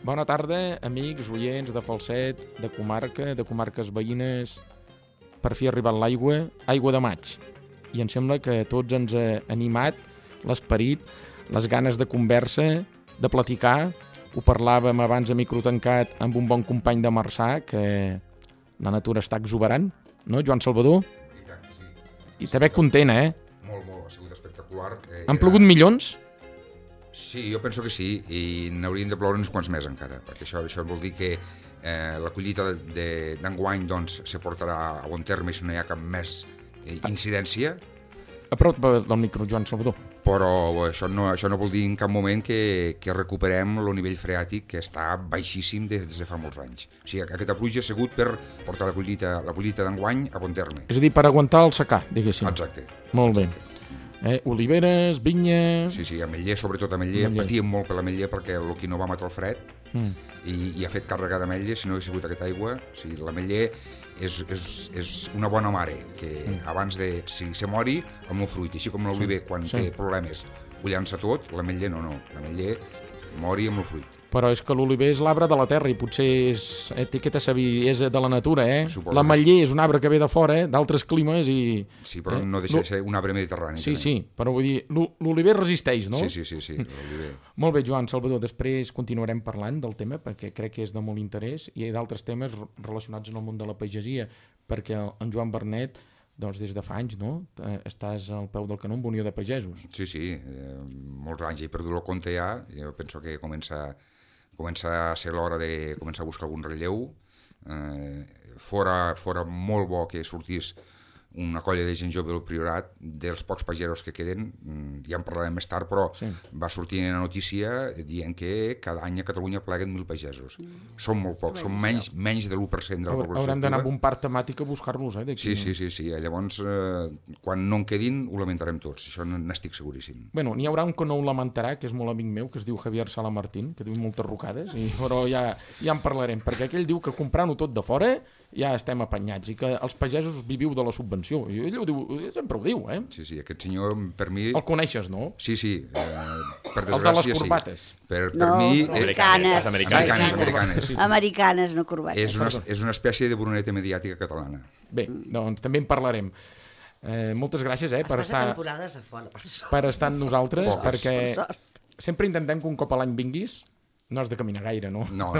Bona tarda, amics, oients de Falset, de comarques veïnes. Per fi ha arribat l'aigua, aigua de maig. I em sembla que tots ens ha animat l'esperit, les ganes de conversa, de platicar. Ho parlàvem abans a micro tancat amb un bon company de Marçà, que la natura està exuberant, no, Joan Salvador? I tant que sí. I també content, Molt, ha sigut espectacular. Han plogut milions? Sí, jo penso que sí, i n'haurien de ploure uns quants més encara, perquè això vol dir que la collita d'enguany doncs, se portarà a bon terme si no hi ha cap més incidència. A prop del micro, Joan Salvador. Però això no vol dir en cap moment que recuperem el nivell freàtic, que està baixíssim des de fa molts anys. O sigui, aquesta pluja ha sigut per portar la collita d'enguany a bon terme. És a dir, per aguantar el secà, diguéssim. Exacte. Molt bé. Oliveres, vinyes... Sí, ametller, sobretot ametller. Patíem molt per l'ametller perquè el que no va matar el fred i ha fet càrrega d'ametller. Si no hagués sigut aquesta aigua, l'ametller és una bona mare, que abans de si se mori el meu fruit, així com l'oliver quan té problemes ho llança tot, l'ametller no, l'ametller mori amb el fruit. Però és que l'oliver és l'arbre de la terra i potser és etiqueta saber, és de la natura, L'ametller és un arbre que ve de fora, d'altres climes i... Sí, però no deixa de ser un arbre mediterrani. Sí, però vull dir, l'oliver resisteix, no? Sí, l'oliver. Molt bé, Joan Salvador, després continuarem parlant del tema perquè crec que és de molt interès i hi ha d'altres temes relacionats amb el món de la pagesia, perquè en Joan Bernet, doncs des de fa anys, no? Estàs al peu del canó amb Unió de Pagesos. Sí, molts anys he perdut el compte ja, jo penso que comença a ser l'hora de començar a buscar algun relleu. Fora molt bo que sortís una colla de gent jove del Priorat, dels pocs pagesos que queden, ja en parlarem més tard, però va sortir una notícia dient que cada any a Catalunya pleguen 1.000 pagesos. Són molt pocs, són menys de l'1% de la població. Haurem d'anar amb un parc temàtic a buscar-los, Sí. Llavors, quan no en quedin, ho lamentarem tots, això n'estic seguríssim. Bueno, n'hi haurà un que no ho lamentarà, que és molt amic meu, que es diu Javier Salamartín, que diu moltes rucades, però ja en parlarem, perquè aquell diu que comprant-ho tot de fora ja estem apanyats i que els pagesos viviu de la subvenció. I ell sempre ho diu, Sí, aquest senyor, per mi... El coneixes, no? Sí, per desgràcia, el de les corbates. Per mi... Americanes. Americanes, no corbates. És una espècie de Bruneta mediàtica catalana. Bé, doncs també en parlarem. Moltes gràcies, per estar amb nosaltres, perquè sempre intentem que un cop a l'any vinguis. No has de caminar gaire, no? No.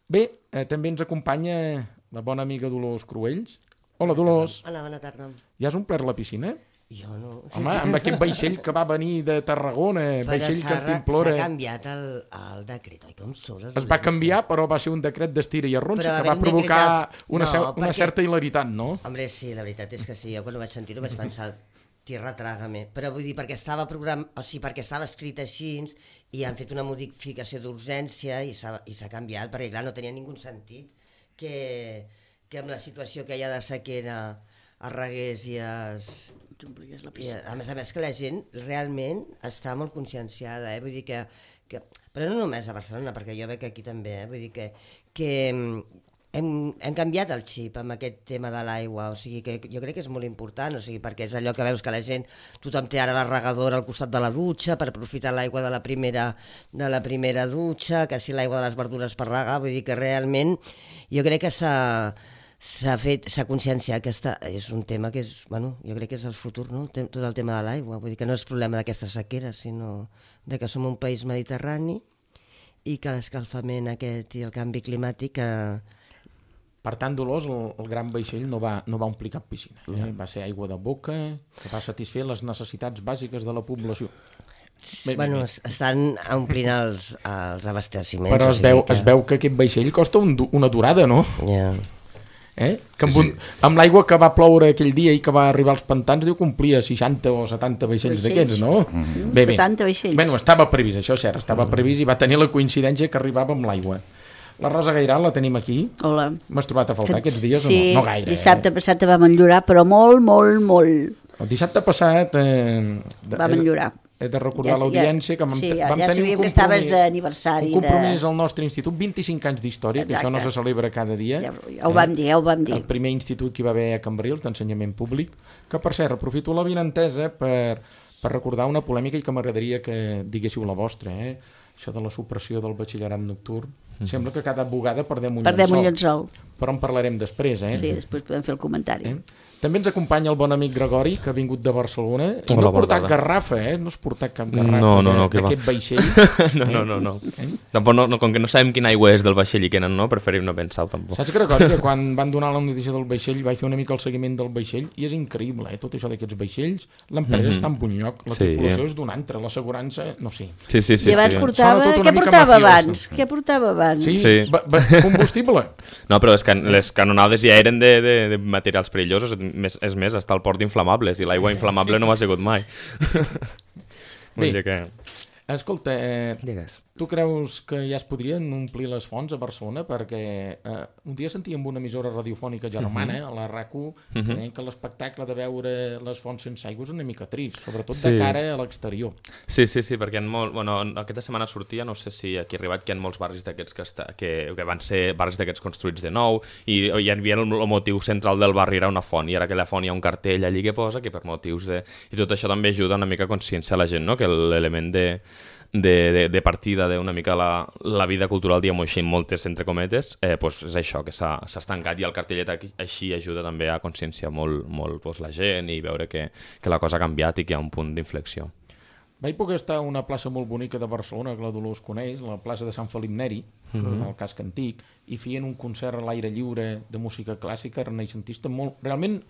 Bé, també ens acompanya la bona amiga Dolors Cruells. Hola, Dolors. Hola, bona tarda. Ja has omplert la piscina? Jo no. Home, amb aquest vaixell que va venir de Tarragona, vaixell que t'implora... S'ha canviat el decret, oi? Com són? Es va canviar, però va ser un decret d'estira i arronsa que va provocar una certa hilaritat, no? Home, sí, la veritat és que sí. Jo quan ho vaig sentir ho vaig pensar... Tierra trágame, però vull dir, perquè estava perquè estava escrit així i han fet una modificació d'urgència i s'ha canviat, perquè clar, no tenia ningú sentit que amb la situació que hi ha de sequera es regués i a més que la gent realment està molt conscienciada, vull dir que però no només a Barcelona, perquè jo veig aquí també, vull dir que hem canviat el xip amb aquest tema de l'aigua, o sigui que jo crec que és molt important, o sigui, perquè és allò que veus que la gent, tothom té ara la regadora al costat de la dutxa per aprofitar l'aigua de la primera dutxa, que si l'aigua de les verdures per regar, vull dir que realment jo crec que s'ha conscienciat que és un tema que és, bueno, jo crec que és el futur, no? Tot el tema de l'aigua, vull dir que no és problema d'aquesta sequera, sinó de que som un país mediterrani i que l'escalfament aquest i el canvi climàtic Per tant, Dolors, el gran vaixell no va omplir cap piscina. Va ser aigua de boca, que va satisfer les necessitats bàsiques de la població. Bueno, estan omplint els abasteciments. Però es veu que aquest vaixell costa una durada, no? Ja. Amb l'aigua que va ploure aquell dia i que va arribar als pantans, diu que omplia 60 o 70 vaixells d'aquests, no? 70 vaixells. Bueno, estava previst, això és cert, estava previst i va tenir la coincidència que arribava amb l'aigua. La Rosa Gairal la tenim aquí. Hola. M'has trobat a faltar aquests dies o no? No gaire. Dissabte passat vam enllorar, però molt. El dissabte passat vam enllorar. He de recordar l'audiència que vam tenir un compromís al nostre institut, 25 anys d'història, que això no se celebra cada dia. Ja ho vam dir. El primer institut que hi va haver a Cambrils, d'ensenyament públic, que per cert, aprofito la vinentesa per recordar una polèmica i que m'agradaria que diguéssiu la vostra, això de la supressió del batxillerat nocturn. Sembla que cada vegada perdem un llençol. Però en parlarem després, Sí, després podem fer el comentari. També ens acompanya el bon amic Gregori, que ha vingut de Barcelona. I no ha portat garrafa, no has portat cap garrafa d'aquest vaixell. No. Tampoc, com que no sabem quina aigua és del vaixell i quina no, preferim no pensar-ho tampoc. Saps, Gregori, que quan van donar la notícia del vaixell vaig fer una mica el seguiment del vaixell i és increïble, tot això d'aquests vaixells. L'empresa està en bon lloc, la tripulació és d'un altre, l'assegurança, no sé. I abans portava... Què portava abans? Què portava abans? Sí, combustible. No, però les canonades ja eren de materials perillosos. És més, està al port d'inflamables i l'aigua inflamable no m'ha sigut mai. Bé, escolta, tu creus que ja es podrien omplir les fonts a Barcelona? Perquè un dia sentíem una emissora radiofònica germana, a la RAC1, que deien que l'espectacle de veure les fonts sense aigua és una mica trist, sobretot de cara a l'exterior. Sí, perquè aquesta setmana sortia, no sé si aquí ha arribat, que hi ha molts barris d'aquests que van ser barris d'aquests construïts de nou, i hi havia el motiu central del barri era una font, i ara que la font hi ha un cartell allí que posa que per motius de... I tot això també ajuda una mica a conscienciar la gent, no? Que l'element de partida d'una mica la vida cultural, diguem-ho així, en moltes entre cometes, és això, que s'ha estancat, i el cartellet així ajuda també a conscienciar molt la gent i veure que la cosa ha canviat i que hi ha un punt d'inflexió. Vaig poder estar a una plaça molt bonica de Barcelona, que la Dolors coneix, la plaça de Sant Felip Neri, al casc antic, i feien un concert a l'aire lliure de música clàssica renaixentista molt, realment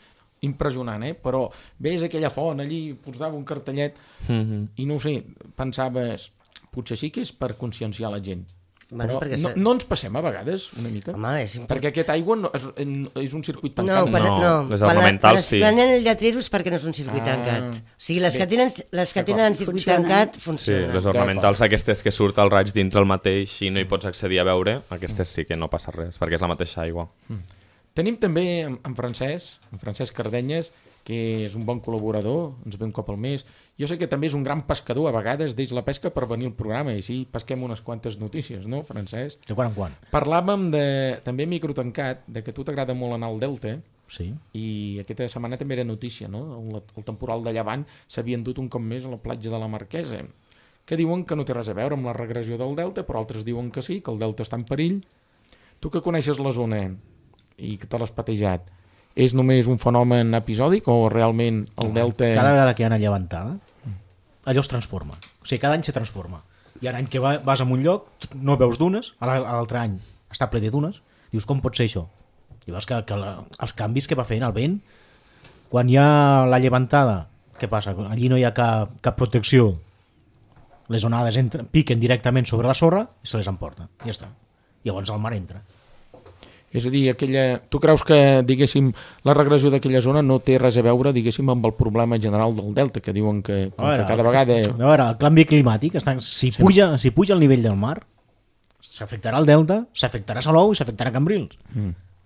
impressionant, però veus aquella font allí, posava un cartellet i no ho sé, pensaves potser sí que és per conscienciar la gent, però no ens passem a vegades una mica? Perquè aquesta aigua és un circuit tancat. No, les ornamentals sí. Quan anen lletreros perquè no és un circuit tancat. O sigui, les que tenen circuit tancat funcionen. Sí, les ornamentals aquestes que surt el raig dintre el mateix i no hi pots accedir a veure, aquestes sí que no passa res, perquè és la mateixa aigua. Tenim també en Francesc Cardenyes, que és un bon col·laborador, ens ve un cop al mes. Jo sé que també és un gran pescador, a vegades deix la pesca per venir al programa, i així pesquem unes quantes notícies, no, Francesc? De quan en quan. Parlàvem també microtancat, de que a tu t'agrada molt anar al Delta, i aquesta setmana també era notícia, no? El temporal de Llevant s'havia endut un cop més a la platja de la Marquesa, que diuen que no té res a veure amb la regressió del Delta, però altres diuen que sí, que el Delta està en perill. Tu que coneixes la zona i que te l'has patejat, és només un fenomen episòdic o realment el Delta... Cada vegada que hi ha una llevantada, allò es transforma. O sigui, cada any se transforma. Hi ha un any que vas a un lloc, no veus dunes, l'altre any està ple de dunes, dius, com pot ser això? I veus que els canvis que va fent el vent, quan hi ha la llevantada, què passa? Allí no hi ha cap protecció. Les onades piquen directament sobre la sorra i se les emporten. Ja està. Llavors el mar entra. És a dir, tu creus que, diguéssim, la regressió d'aquella zona no té res a veure, diguéssim, amb el problema general del Delta, que diuen que cada vegada... A veure, el canvi climàtic, si puja el nivell del mar, s'afectarà el Delta, s'afectarà Salou i s'afectarà Cambrils.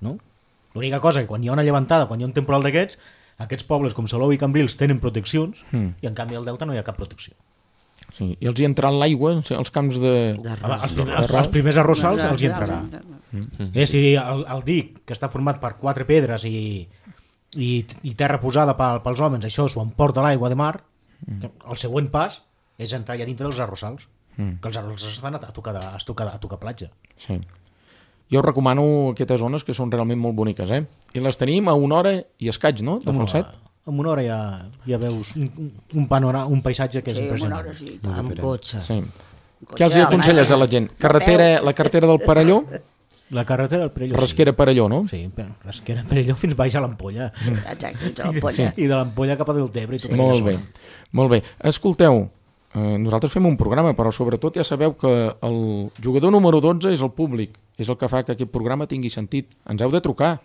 No? L'única cosa que quan hi ha una llevantada, quan hi ha un temporal d'aquests, aquests pobles com Salou i Cambrils tenen proteccions i en canvi al Delta no hi ha cap protecció. Sí, i els hi entrarà l'aigua als camps de... Els primers arrossals els hi entrarà. Si el dic, que està format per 4 pedres i terra posada pels homes, això s'ho emporta l'aigua de mar, el següent pas és entrar allà dintre dels arrossals, que els arrossals estan a tocar platja. Sí. Jo recomano aquestes zones que són realment molt boniques, I les tenim a 1 hora i escaig, no?, de Falset. En 1 hora ja veus un paisatge que és impressionant. Amb cotxe. Sí. Què els aconselles a la gent? La carretera del Perelló? La carretera del Perelló, Rasquera Perelló, no? Sí, Rasquera Perelló fins baix a l'Ampolla. Exacte, fins a l'Ampolla. I de l'Ampolla cap a Deltebre. Molt bé. Escolteu, nosaltres fem un programa, però sobretot ja sabeu que el jugador número 12 és el públic. És el que fa que aquest programa tingui sentit. Ens heu de trucar.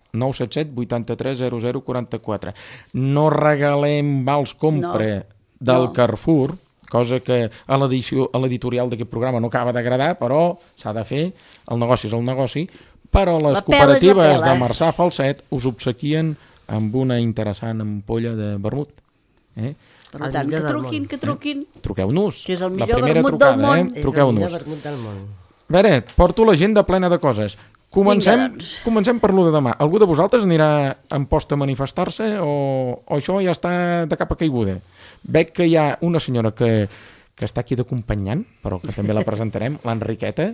977 83 00 44. No regalem vals compra del Carrefour, cosa que a l'editorial d'aquest programa no acaba d'agradar, però s'ha de fer, el negoci és el negoci, però les cooperatives de Marçà Falset us obsequien amb una interessant ampolla de vermut. Per tant, que truquin. Truqueu-nos. Que és el millor vermut del món. Truqueu-nos. És el millor vermut del món. A veure, porto l'agenda plena de coses. Comencem per lo de demà. Algú de vosaltres anirà en posta a manifestar-se o això ja està de capa caiguda? Veig que hi ha una senyora que que està aquí d'acompanyant, però que també la presentarem, l'Enriqueta,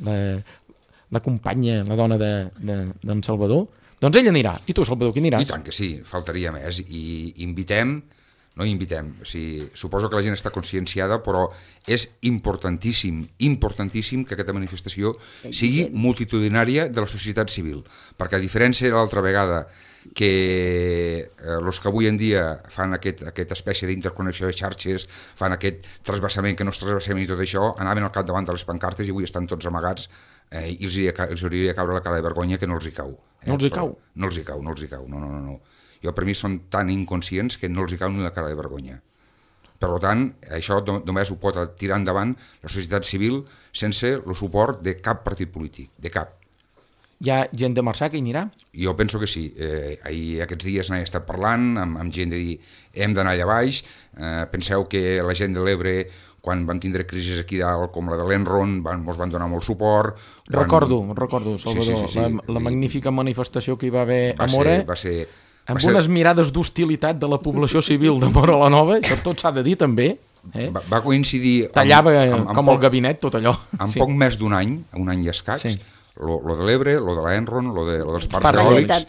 la companya, la dona d'en Salvador. Doncs ella anirà. I tu, Salvador, qui aniràs? I tant que sí, faltaria més. I invitem, o sigui, suposo que la gent està conscienciada, però és importantíssim que aquesta manifestació sigui multitudinària de la societat civil, perquè a diferència de l'altra vegada que els que avui en dia fan aquesta espècie d'interconnexió de xarxes, fan aquest trasbassament que no és trasbassament i tot això, anaven al capdavant de les pancartes i avui estan tots amagats i els hauria de caure la cara de vergonya que no els hi cau. No els hi cau? No els hi cau, no. Jo, per mi, són tan inconscients que no els hi cau ni la cara de vergonya. Per tant, això només ho pot tirar endavant la societat civil sense el suport de cap partit polític, de cap. Hi ha gent de Marçà que hi anirà? Jo penso que sí. Aquests dies n'he estat parlant amb gent de dir hem d'anar allà baix. Penseu que la gent de l'Ebre, quan van tindre crisis aquí dalt, com la de l'Enron, ens van donar molt suport. Recordo, Salvador, sí. La magnífica manifestació que hi va haver a Móra, amb unes mirades d'hostilitat de la població civil de Móra la Nova, això tot s'ha de dir també. Va coincidir... Tallava com el gabinet tot allò. En poc més d'un any i escaig, lo de l'Ebre, lo de l'Enron, lo dels parcs eòlics,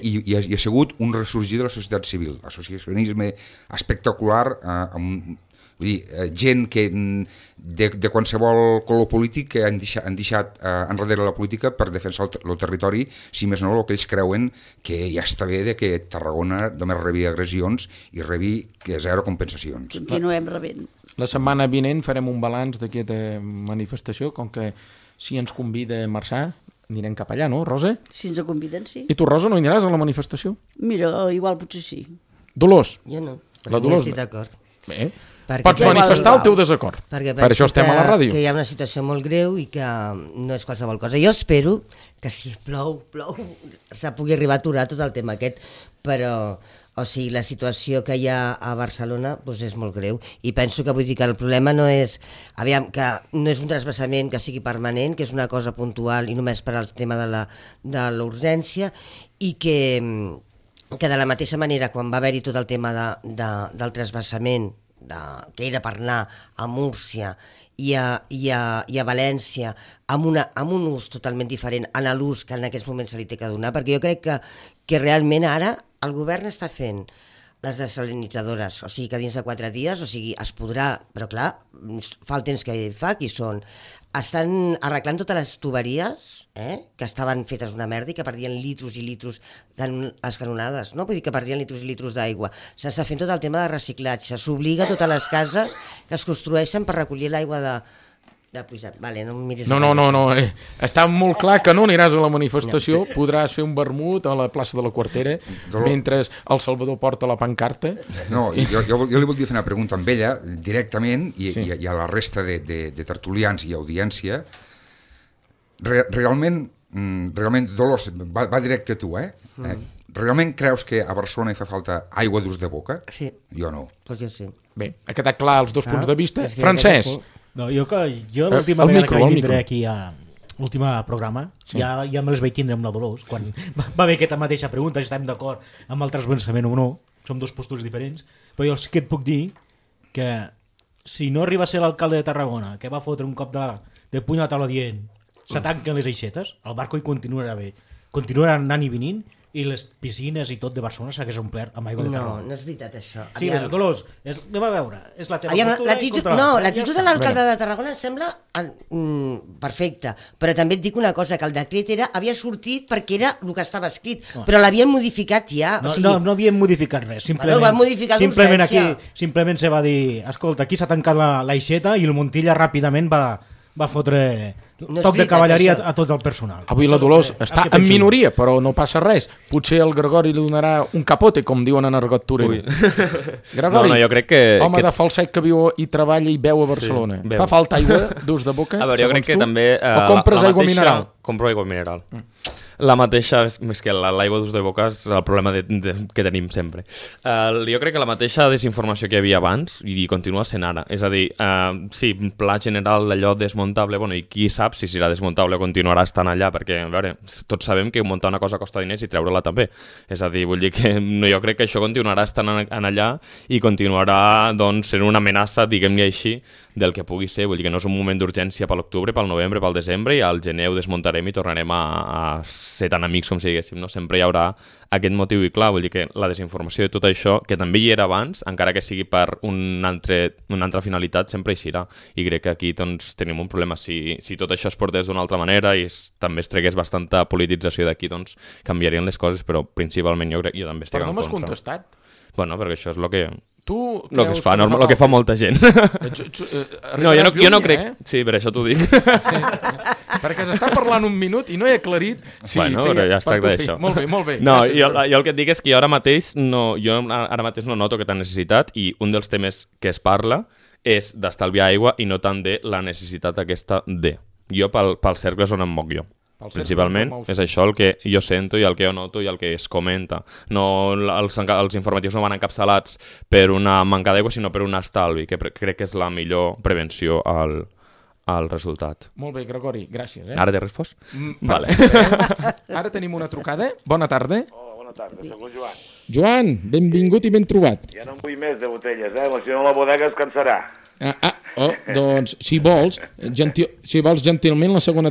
i ha sigut un ressorgir de la societat civil, associacionisme espectacular, vull dir, gent que de qualsevol color polític que han deixat enrere la política per defensar el territori, si més no el que ells creuen que ja està bé de que Tarragona només rebi agressions i rebi zero compensacions. Continuem rebent. La setmana vinent farem un balanç d'aquesta manifestació, com que si ens convida a Marçà, anirem cap allà, no, Rosa? Si ens conviden, sí. I tu, Rosa, no hi aniràs a la manifestació? Mira, igual potser sí. Dolors? Jo no, la Dolors estic d'acord. Bé, pots manifestar el teu desacord. Per això estem a la ràdio. Que hi ha una situació molt greu i que no és qualsevol cosa. Jo espero que si plou, se pugui arribar a aturar tot el tema aquest, però o sigui, la situació que hi ha a Barcelona doncs és molt greu i penso que vull dir que el problema no és que no és un trasbassament que sigui permanent, que és una cosa puntual i només per al tema de l'urgència i que de la mateixa manera quan va haver-hi tot el tema del trasbassament que era per anar a Múrcia i a València amb un ús totalment diferent en l'ús que en aquests moments se li té que donar, perquè jo crec que realment ara el govern està fent les desalinitzadores, o sigui que dins de 4 dies, o sigui, es podrà, però clar, fa el temps que fa, qui són? Estan arreglant totes les tuberies, que estaven fetes una merda i que perdien litros i litros les canonades, no? Vull dir que perdien litros i litros d'aigua. S'està fent tot el tema de reciclatge, s'obliga a totes les cases que es construeixen per recollir l'aigua de pujar. Vale, no em miris. No. Està molt clar que no aniràs a la manifestació, podràs fer un vermut a la plaça de la Quartera mentre el Salvador porta la pancarta. No, jo li voldria fer una pregunta amb ella directament i a la resta de tertulians i audiència. Realment, Dolors, va directe a tu, Realment creus que a Barcelona hi fa falta aigua d'ús de boca? Sí. Jo no. Doncs jo sí. Bé, ha quedat clar els dos punts de vista. Francesc? No, jo l'última vegada que vaig vindre aquí a l'últim programa, ja me les vaig tindre amb la Dolors, quan va haver aquesta mateixa pregunta, si estem d'acord amb el trasbassament o no, som dos postures diferents, però jo sí que et puc dir que si no arriba a ser l'alcalde de Tarragona, que va fotre un cop de puny a la taula dient se tanquen les aixetes, el barco hi continuarà bé, continuarà anant i venint, i les piscines i tot de Barcelona s'hagués omplert amb aigua de Tarragona. No és veritat això. Sí, però Dolors, anem a veure, és la teva postura. L'actitud de l'alcalde de Tarragona em sembla perfecta, però també et dic una cosa, que el decret havia sortit perquè era el que estava escrit, però l'havien modificat ja. No havien modificat res, simplement se va dir, escolta, aquí s'ha tancat l'aixeta i el Montilla ràpidament va fotre toc de cavalleria a tot el personal. Avui la Dolors està en minoria, però no passa res. Potser el Gregori li donarà un capote, com diuen en argot torero. Gregori, jo crec que home de falset que viu i treballa i veu a Barcelona. Fa falta aigua d'ús de boca? A veure, jo crec que també... O compres aigua mineral? Compro aigua mineral. La mateixa, més que l'aigua d'ús de boca és el problema que tenim sempre. Jo crec que la mateixa desinformació que hi havia abans i continua sent ara. És a dir, sí, pla general d'allò desmuntable, bueno, i qui sap si serà desmuntable o continuarà estant allà, perquè, a veure, tots sabem que muntar una cosa costa diners i treure-la també. És a dir, vull dir que jo crec que això continuarà estant en allà i continuarà, doncs, sent una amenaça, diguem-ne així, del que pugui ser. Vull dir que no és un moment d'urgència per l'octubre, pel novembre, pel desembre, i al gener ho desmuntarem i tornarem a ser tan amics com si diguéssim, no? Sempre hi haurà aquest motiu i clar, vull dir que la desinformació de tot això, que també hi era abans, encara que sigui per una altra finalitat, sempre hi serà. I crec que aquí doncs, tenim un problema. Si tot això es portés d'una altra manera i també es tregués bastanta politització d'aquí, doncs canviarien les coses, però principalment jo també estic en contra. Però no m'has contestat. Bueno, perquè això és el que... Tu el que es fa, el que fa molta gent. No, jo no crec... Sí, per això t'ho dic. Perquè s'està parlant un minut i no he aclarit si bueno, feia ja es tracta d'això. Molt bé, molt bé. No, jo el que et dic és que jo ara mateix no noto aquesta necessitat i un dels temes que es parla és d'estalviar aigua i no tant de la necessitat aquesta de. Jo pels cercles on em moc jo. Principalment és això el que jo sento i el que jo noto i el que es comenta. No, els informatius no van encapçalats per una manca d'aigua, sinó per un estalvi, que crec que és la millor prevenció al resultat. Molt bé, Gregori, gràcies. Ara t'he respost? Vale. Ara tenim una trucada. Bona tarda. Hola, bona tarda, soc el Joan. Joan, benvingut i ben trobat. Ja no en vull més de botelles, si no la bodega es cansarà. Doncs, si vols gentilment la segona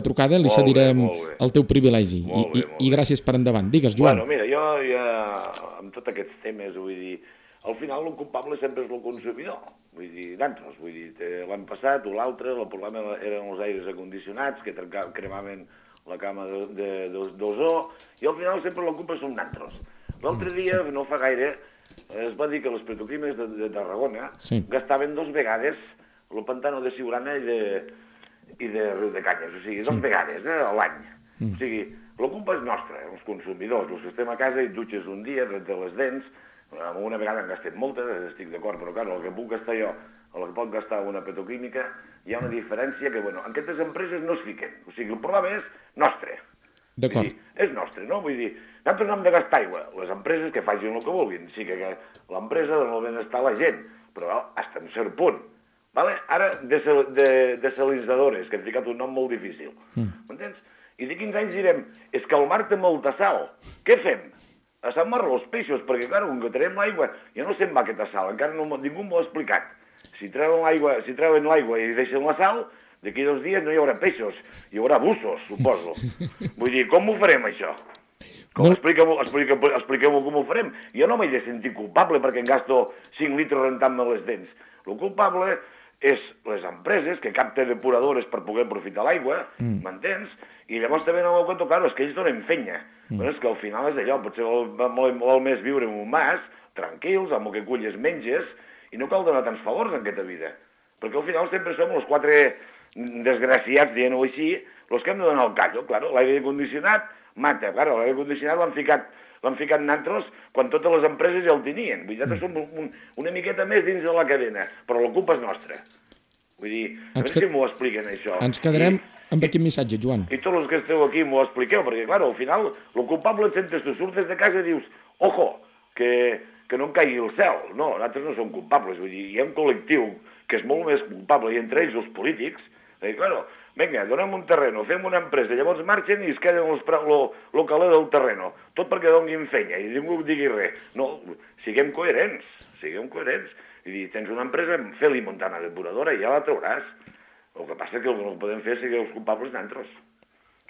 trucada li cedirem el teu privilegi. I gràcies per endavant. Digues, Joan. Bueno, mira, jo ja, amb tots aquests temes, vull dir, al final el culpable sempre és el consumidor. Vull dir, d'altres, vull dir, l'any passat o l'altre, el problema eren els aires acondicionats que cremaven la cama d'ozó, i al final sempre la culpa són d'altres. L'altre dia, no fa gaire, es va dir que les petroquímiques de Tarragona gastaven 2 vegades el pantano de Siurana i de Riu de Canyes, o sigui, 2 vegades a l'any. O sigui, la culpa és nostra, els consumidors, els que estem a casa i dutxes un dia, de les dents, una vegada han gastat moltes, estic d'acord, però clar, el que puc gastar jo, el que pot gastar una petroquímica, hi ha una diferència que, bueno, aquestes empreses no es fiquen, o sigui, el problema és nostre. D'acord. És nostre, no? Vull dir, nosaltres no hem de gastar aigua, les empreses que facin el que vulguin, sí que l'empresa dona el benestar a la gent, però fins a un cert punt. Vale? Ara, desalinitzadores, que hem ficat un nom molt difícil, m'entens? I de 15 anys direm, és que el mar té molta sal, què fem? A Sant Marc els peixos, perquè clar, on traiem l'aigua, ja no se'n va aquesta sal, encara ningú m'ho ha explicat. Si treuen l'aigua i deixen la sal, d'aquí 2 dies no hi haurà peixos, hi haurà bussos, suposo. Vull dir, com ho farem, això? Expliqueu-m'ho com ho farem. Jo no m'he de sentir culpable perquè em gasto 5 litres rentant-me les dents. El culpable és les empreses que capten depuradores per poder aprofitar l'aigua, m'entens? I llavors també no m'ho conto, clar, és que ells donen fenya. Però és que al final és allò, potser vol més viure en un mas, tranquils, amb el que culles menges, i no cal donar tants favors en aquesta vida. Perquè al final sempre som els 4 desgraciats, dient-ho així, els que hem de donar el callo. Clar, l'aire condicionat mata. Clar, l'aire condicionat l'han ficat nantros quan totes les empreses ja el tenien. Vull dir, nosaltres som una miqueta més dins de la cadena, però la culpa és nostra. Vull dir, a veure si m'ho expliquen, això. Ens quedarem amb aquest missatge, Joan. I tots els que esteu aquí m'ho expliqueu, perquè, clar, al final, el culpable et sentes, tu surtes de casa i dius, ojo, que no em caigui el cel. No, nosaltres no som culpables, vull dir, hi ha un col·lectiu que és molt més culpable, i entre ells els polítics, i, clar, vinga, donem un terreno, fem una empresa, llavors marxen i es queden el caler del terreno, tot perquè donguin fenya i ningú digui res. No, siguem coherents. I dir, tens una empresa, fes-li muntar una depuradora i ja la trauràs. El que passa és que el que no podem fer és seguir els culpables d'altres.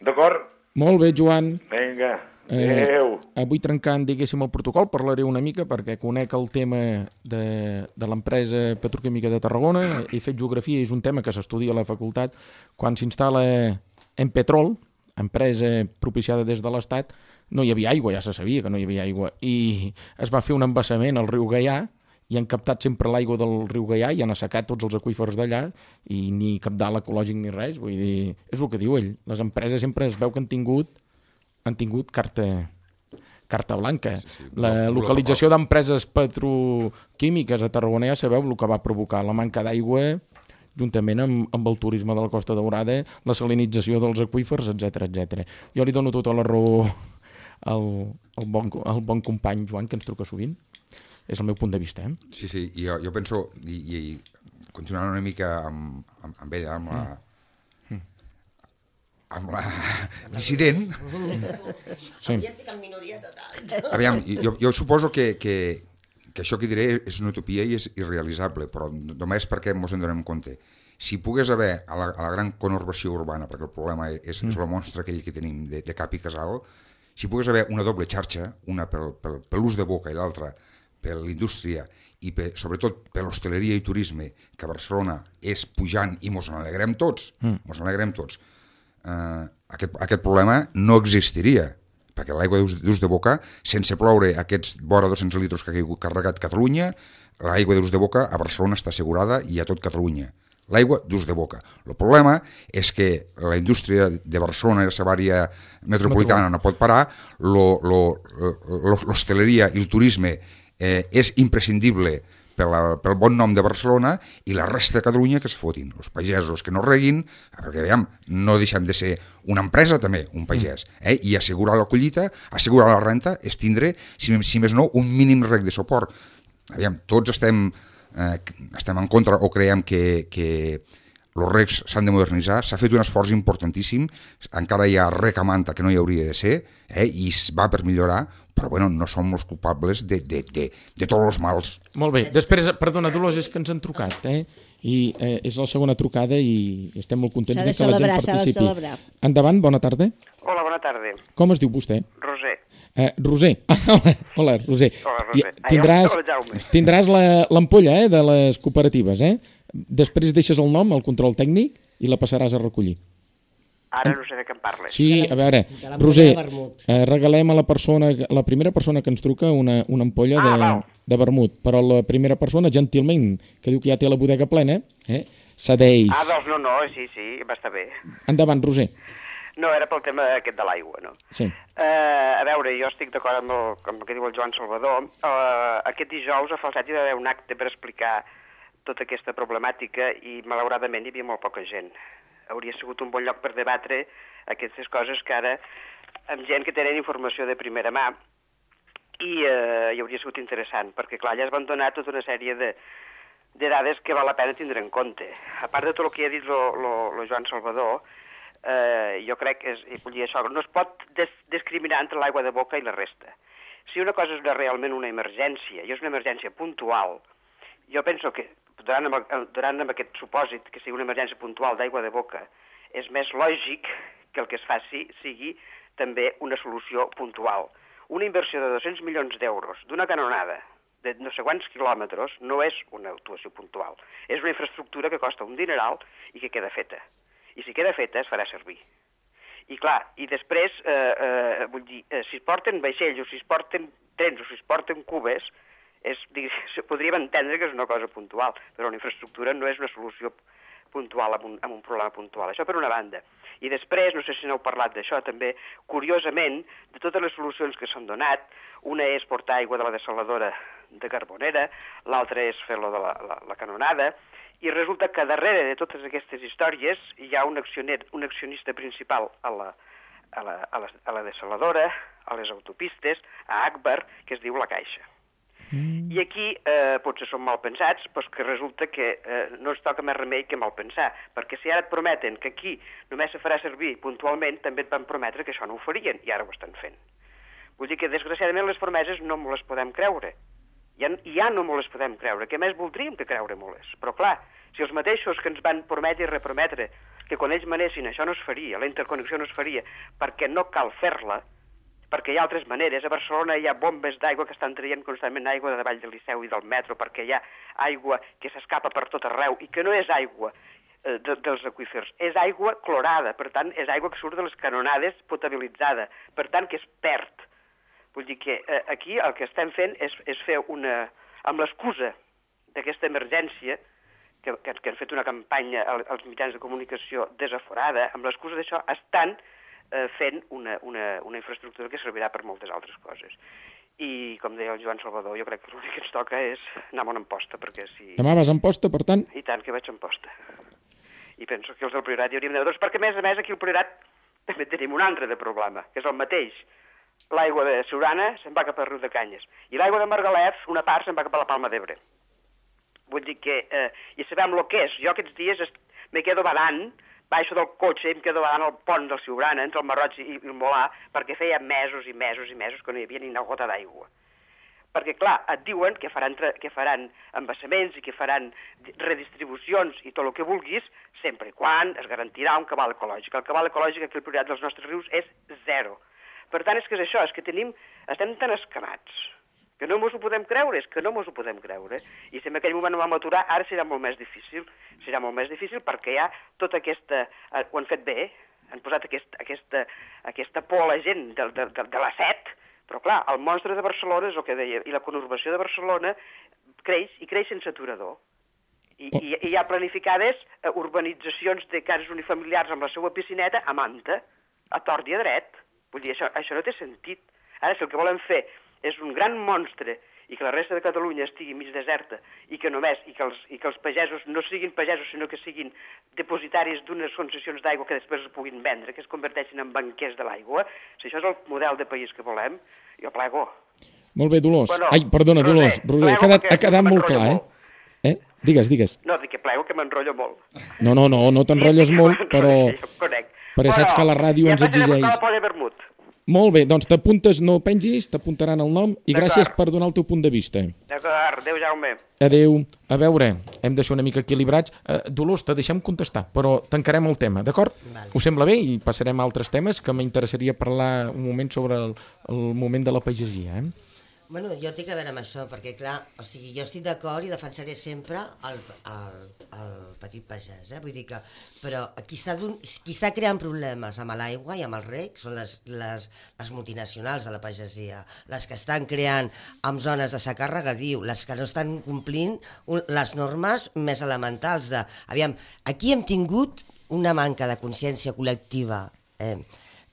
D'acord? Molt bé, Joan. Vinga, adéu. Avui trencant, diguéssim, el protocol, parlaré una mica perquè conec el tema de l'empresa petroquímica de Tarragona. He fet geografia i és un tema que s'estudia a la facultat. Quan s'instal·la Empetrol, empresa propiciada des de l'Estat, no hi havia aigua, ja se sabia que no hi havia aigua. I es va fer un embassament al riu Gaià i han captat sempre l'aigua del riu Gaià i han assecat tots els aqüífers d'allà i ni cabdal ecològic ni res. Vull dir, és el que diu ell. Les empreses sempre es veu que han tingut carta blanca. La localització d'empreses petroquímiques a Tarragona ja sabeu el que va provocar, la manca d'aigua juntament amb el turisme de la Costa Daurada, la salinització dels aqüífers, etc. Jo li dono tota la raó al bon company Joan, que ens truca sovint. És el meu punt de vista. Sí, jo penso, i continuant una mica amb ella, amb la dissident. Sí. Ja estic en minoria total. Aviam, jo suposo que això que diré és una utopia i és irrealitzable, però només perquè ens en donem compte. Si pogués haver a la gran conurbació urbana, perquè el problema és el monstre aquell que tenim de cap i casal, si pogués haver una doble xarxa, una per l'ús de boca i l'altra per l'indústria i sobretot per l'hostaleria i turisme, que a Barcelona és pujant i mos n'alegrem tots, aquest problema no existiria, perquè l'aigua d'ús de boca, sense ploure aquests vora 200 litres que ha carregat Catalunya, l'aigua d'ús de boca a Barcelona està assegurada i a tot Catalunya. L'aigua d'ús de boca. El problema és que la indústria de Barcelona i la seva àrea metropolitana no pot parar, l'hostaleria i el turisme és imprescindible pel bon nom de Barcelona i la resta de Catalunya que es fotin. Els pagesos que no reguin, perquè veiem, no deixem de ser una empresa també, un pagès, i assegurar la collita, assegurar la renta, és tindre, si més no, un mínim reg de suport. Aviam, tots estem en contra o creiem que els regs s'han de modernitzar, s'ha fet un esforç importantíssim, encara hi ha reg a manta que no hi hauria de ser, i es va per millorar, però bueno, no som els culpables de tots els mals. Molt bé, després, perdona, Dolors, és que ens han trucat, i és la segona trucada i estem molt contents que la gent participi. S'ha de celebrar. Endavant, bona tarda. Hola, bona tarda. Com es diu vostè? Roser. Roser. Hola, Roser. Hola, Roser. Tindràs l'ampolla de les cooperatives, Després deixes el nom, el control tècnic, i la passaràs a recollir. Ara no sé de què em parles. Sí, a veure, Roser, regalem a la primera persona que ens truca una ampolla de vermut, però la primera persona, gentilment, que diu que ja té la bodega plena, cedeix. Doncs no, sí, va estar bé. Endavant, Roser. No, era pel tema aquest de l'aigua, no? Sí. A veure, jo estic d'acord amb el que diu el Joan Salvador. Aquest dijous a Falset hi va haver un acte per explicar tota aquesta problemàtica i malauradament hi havia molt poca gent. Hauria sigut un bon lloc per debatre aquestes coses que ara, amb gent que tenen informació de primera mà, i hi hauria sigut interessant, perquè clar, allà es van donar tota una sèrie de dades que val la pena tindre en compte. A part de tot el que ha dit el Joan Salvador, jo crec que això no es pot discriminar entre l'aigua de boca i la resta. Si una cosa és realment una emergència, i és una emergència puntual, jo penso que, donant amb aquest supòsit que sigui una emergència puntual d'aigua de boca, és més lògic que el que es faci sigui també una solució puntual. Una inversió de 200 milions d'euros d'una canonada de no sé quants quilòmetres no és una actuació puntual. És una infraestructura que costa un dineral i que queda feta. I si queda feta es farà servir. I clar, i després, vull dir, si es porten vaixells o si es porten trens o si es porten cubes, podríem entendre que és una cosa puntual, però una infraestructura no és una solució puntual amb un problema puntual. Això per una banda. I després, no sé si n'heu parlat d'això també, curiosament, de totes les solucions que s'han donat, una és portar aigua de la dessaladora de Carbonera, l'altra és fer-lo de la canonada, i resulta que darrere de totes aquestes històries hi ha un accionista principal a la dessaladora, a les autopistes, a Agbar, que es diu la Caixa. I aquí potser som mal pensats, però que resulta que no ens toca més remei que mal pensar, perquè si ara et prometen que aquí només se farà servir puntualment, també et van prometre que això no ho farien, i ara ho estan fent. Vull dir que, desgraciadament, les promeses no me les podem creure. Ja no me les podem creure, què més voldríem que creure-me-les? Però clar, si els mateixos que ens van prometre i reprometre que quan ells manessin això no es faria, la interconnexió no es faria, perquè no cal fer-la, perquè hi ha altres maneres. A Barcelona hi ha bombes d'aigua que estan traient constantment aigua de davall del Liceu i del metro, perquè hi ha aigua que s'escapa per tot arreu i que no és aigua dels aqüífers, és aigua clorada, per tant, és aigua que surt de les canonades potabilitzada, per tant, que es perd. Vull dir que aquí el que estem fent és fer amb l'excusa d'aquesta emergència, que han fet una campanya als mitjans de comunicació desaforada, amb l'excusa d'això estan fent una infraestructura que servirà per moltes altres coses. I, com deia el Joan Salvador, jo crec que l'únic que ens toca és anar a Amposta, perquè si... Demà vas a Amposta, per tant? I tant que vaig a Amposta. I penso que els del Priorat hi hauríem de... Doncs perquè, a més, aquí al Priorat també tenim un altre de problema, que és el mateix. L'aigua de Siurana se'n va cap al riu de Canyes. I l'aigua de Margalef, una part, se'n va cap a la Palma d'Ebre. Vull dir que... I sabem el que és. Jo aquests dies me quedo badant, baixo del cotxe i em quedo badant al pont del Siurana, entre el Marroig i el Molà, perquè feia mesos i mesos i mesos que no hi havia ni una gota d'aigua. Perquè, clar, et diuen que faran embassaments i que faran redistribucions i tot el que vulguis, sempre i quan es garantirà un cabal ecològic. El cabal ecològic aquí al Priorat dels nostres rius és 0. Per tant, és que és això, és que estem tan escamats, que no ens ho podem creure, I si en aquell moment no vam aturar, ara serà molt més difícil. Serà molt més difícil perquè hi ha tota aquesta... Ho han fet bé, han posat aquesta por a la gent de la set, però clar, el monstre de Barcelona és el que deia, i la conurbació de Barcelona creix sense aturador. I hi ha planificades urbanitzacions de cases unifamiliars amb la seva piscineta a manta, a tort i a dret. Vull dir, això no té sentit. Ara, si el que volen fer és un gran monstre i que la resta de Catalunya estigui mig deserta i que els pagesos no siguin pagesos, sinó que siguin depositaris d'unes concessions d'aigua que després es puguin vendre, que es converteixin en banquers de l'aigua, si això és el model de país que volem, jo plego. Molt bé, Dolors. Bueno, ai, perdona, Dolors. Roser, ha quedat molt clar, eh? Digues. No, dic que plego, que m'enrotllo molt. No t'enrotlles molt, però saps que la ràdio ens exigeix... Molt bé, doncs t'apuntes, no pengis, t'apuntaran el nom i gràcies per donar el teu punt de vista. D'acord, adéu, Jaume. Adéu. A veure, hem de ser una mica equilibrats. Dolors, te deixem contestar, però tancarem el tema, d'acord? Us sembla bé? I passarem a altres temes que m'interessaria parlar un moment sobre el moment de la pagesia, Bueno, jo tinc a veure amb això, perquè clar, o sigui, jo estic d'acord i defensaré sempre el petit pagès, vull dir que, però qui està creant problemes amb l'aigua i amb el reg són les multinacionals de la pagesia, les que estan creant amb zones de secà regadiu, les que no estan complint les normes més elementals de... Aviam, aquí hem tingut una manca de consciència col·lectiva,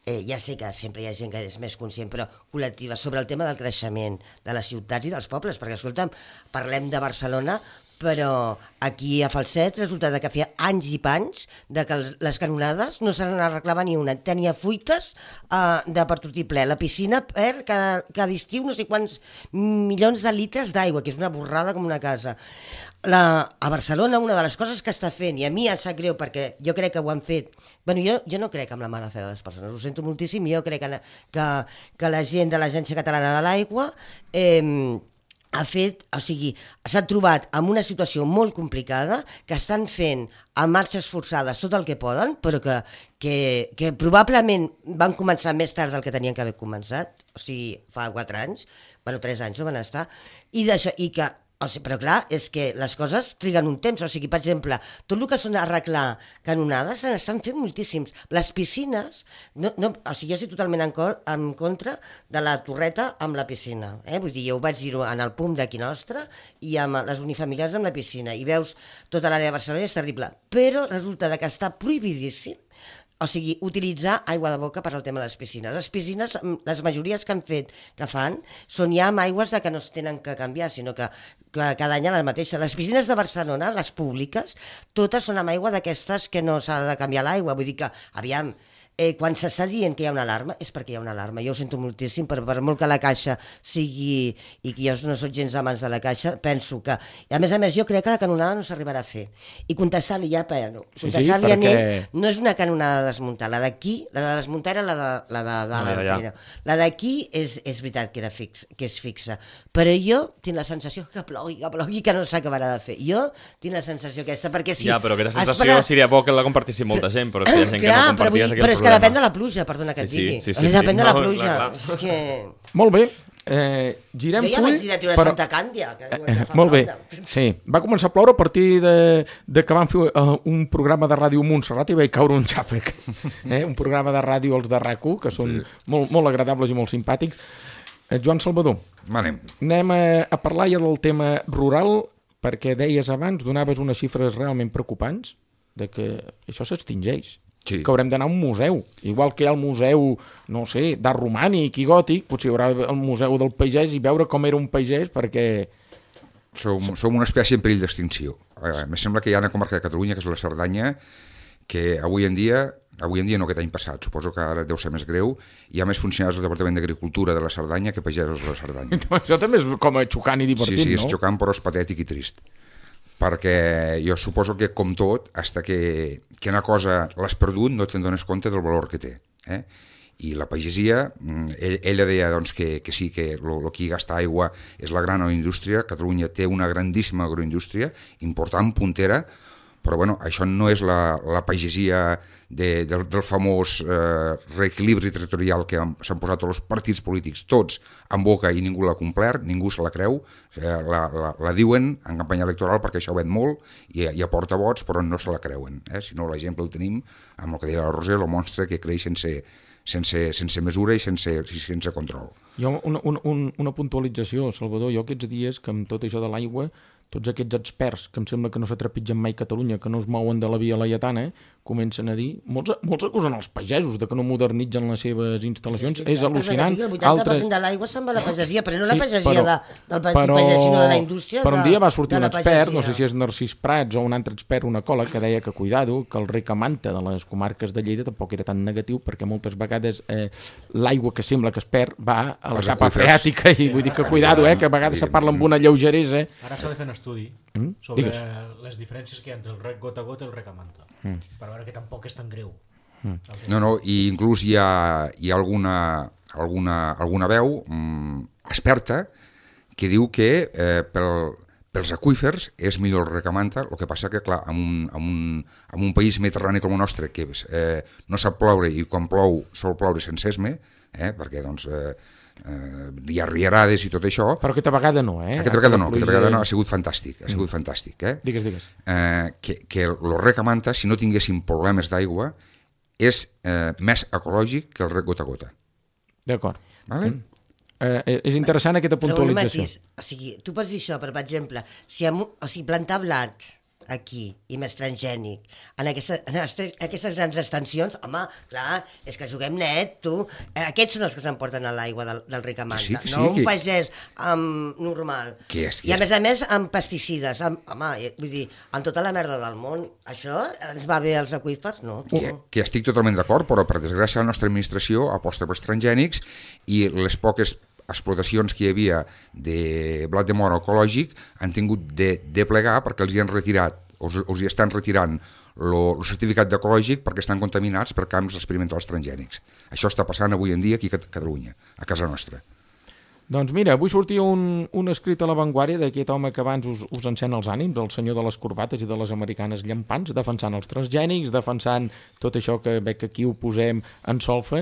ja sé que sempre hi ha gent que és més conscient, però col·lectiva, sobre el tema del creixement de les ciutats i dels pobles, perquè, escolta'm, parlem de Barcelona, però aquí a Falset resulta que feia anys i panys de que les canonades no se n'arreglava ni una, tenia fuites de per tot i ple, la piscina perd cada estiu no sé quants milions de litres d'aigua, que és una borrada com una casa. A Barcelona una de les coses que està fent, i a mi em sap greu perquè jo crec que ho han fet, bueno, jo no crec en la mala fe de les persones, ho sento moltíssim, jo crec que la gent de l'Agència Catalana de l'Aigua s'ha trobat en una situació molt complicada, que estan fent a marxes forçades tot el que poden, però que probablement van començar més tard del que tenien que haver començat, o sigui, fa 4 anys, bueno, 3 anys no van estar, però clar, és que les coses triguen un temps, o sigui, per exemple, tot el que són arreglar canonades se n'estan fent moltíssims. Les piscines, o sigui, jo estic totalment en contra de la torreta amb la piscina, vull dir, jo ho vaig dir en el PUM d'aquí nostre i amb les unifamiliars amb la piscina, i veus tota l'àrea de Barcelona i és terrible, però resulta que està prohibidíssim, o sigui, utilitzar aigua de boca per al tema de les piscines. Les piscines, les majories que fan, són ja amb aigües que no es tenen que canviar, sinó que cada any la mateixa. Les piscines de Barcelona, les públiques, totes són amb aigua d'aquestes que no s'ha de canviar l'aigua. Vull dir que, aviam, quan s'està dient que hi ha una alarma, és perquè hi ha una alarma. Jo ho sento moltíssim, per molt que la Caixa sigui, i que jo no soc gens amants de la Caixa, penso que... I a més, jo crec que la canonada no s'arribarà a fer. I contestar-li ja, contestar-li a ell, no és una canonada de desmuntar. La d'aquí, la de desmuntar era la d'aquí és veritat que és fixa. Però jo tinc la sensació que plogui, que no s'acabarà de fer. Jo tinc la sensació aquesta, perquè si... Ja, però aquesta sensació seria bo que la compartissi molta gent, però si hi ha gent que no comparties aquell problema... Depèn de la pluja, perdona que et digui. Sí. Depèn de la pluja. És que... Molt bé, girem full... Jo ja vaig dir de treure Santa Càndia. Molt bé, sí. Va començar a ploure a partir de que vam fer un programa de ràdio Montserrat i vaig caure un xàfec. Un programa de ràdio, els de RAC1, que són molt agradables i molt simpàtics. Joan Salvador, anem a parlar ja del tema rural, perquè deies abans, donaves unes xifres realment preocupants de que això s'extingeix. Sí. Que haurem d'anar a un museu, igual que hi ha el museu, no sé, d'art romànic i gòtic, potser hi haurà el museu del pagès i veure com era un pagès, perquè... Som una espècie en perill d'extinció. Em sembla que hi ha una comarca de Catalunya, que és la Cerdanya, que avui en dia no, aquest any passat, suposo que ara deu ser més greu, hi ha més funcionaris del Departament d'Agricultura de la Cerdanya que pagesos de la Cerdanya. Això també és com a xocant i divertit, sí, no? Sí, és xocant, però és patètic i trist. Perquè jo suposo que, com tot, fins que una cosa l'has perdut no te'n dones compte del valor que té. I la pagesia, ella deia doncs, que sí, que el que gasta aigua és la gran agroindústria. Catalunya té una grandíssima agroindústria, important, puntera, però bueno, això no és la pagesia del famós reequilibri territorial que s'han posat els partits polítics tots en boca i ningú l'ha complert, ningú se la creu, la diuen en campanya electoral perquè això ven molt i aporta vots, però no se la creuen. Si no, l'exemple el tenim amb el que deia la Roser, el monstre que creix sense mesura i sense control. Jo una puntualització, Salvador, jo aquests dies que amb tot això de l'aigua, tots aquests experts que em sembla que no s'atrepitgen mai a Catalunya, que no es mouen de la via laietana, comencen a dir, molts acusen els pagesos de que no modernitzen les seves instal·lacions, és al·lucinant. El 80% de l'aigua se'n va a la pagesia, però no la pagesia del petit pages, sinó de la indústria. Però un dia va sortir un expert, no sé si és Narcís Prats o un altre expert, un ecòleg, que deia que cuidado, que el rec a manta de les comarques de Lleida tampoc era tan negatiu, perquè moltes vegades l'aigua que sembla que es perd va a la capa freàtica, i vull dir que cuidado, que a vegades se parla amb una lleugeresa. Ara s'ha de fer un estudi sobre les diferències que hi ha entre el rec gota a gota i el rec a manta, per veure que tampoc és tan greu. No, i inclús hi ha alguna veu experta que diu que pels aqüífers és millor el rec a manta, el que passa que, clar, en un país mediterrani com el nostre, que no sap ploure i quan plou sol ploure sense esme, perquè doncs hi ha riarades i tot això. Però aquesta vegada no, Aquesta vegada no, ha sigut fantàstic, Digues. Que el rec a manta, si no tinguéssim problemes d'aigua, és més ecològic que el rec gota a gota. D'acord. Vale? És interessant aquesta puntualització. O sigui, tu pots dir això, però, per exemple, plantar blat aquí i més transgènic en aquestes grans extensions, home, clar, és que juguem net, tu. Aquests són els que s'emporten a l'aigua del rec a manta, no un pagès normal. I a més amb pesticides, home, vull dir, amb tota la merda del món, això ens va bé als aqüífers, no? Que estic totalment d'acord, però per desgràcia la nostra administració aposta pels transgènics i les poques explotacions que hi havia de blat de moro ecològic han tingut de plegar perquè els hi han retirat, els hi estan retirant el certificat d'ecològic perquè estan contaminats per camps experimentals transgènics. Això està passant avui en dia aquí a Catalunya, a casa nostra. Doncs mira, avui sortia un escrit a La Vanguardia d'aquest home que abans us encén els ànims, el senyor de les corbates i de les americanes llampants, defensant els transgènics, defensant tot això que veig que aquí ho posem en solfa.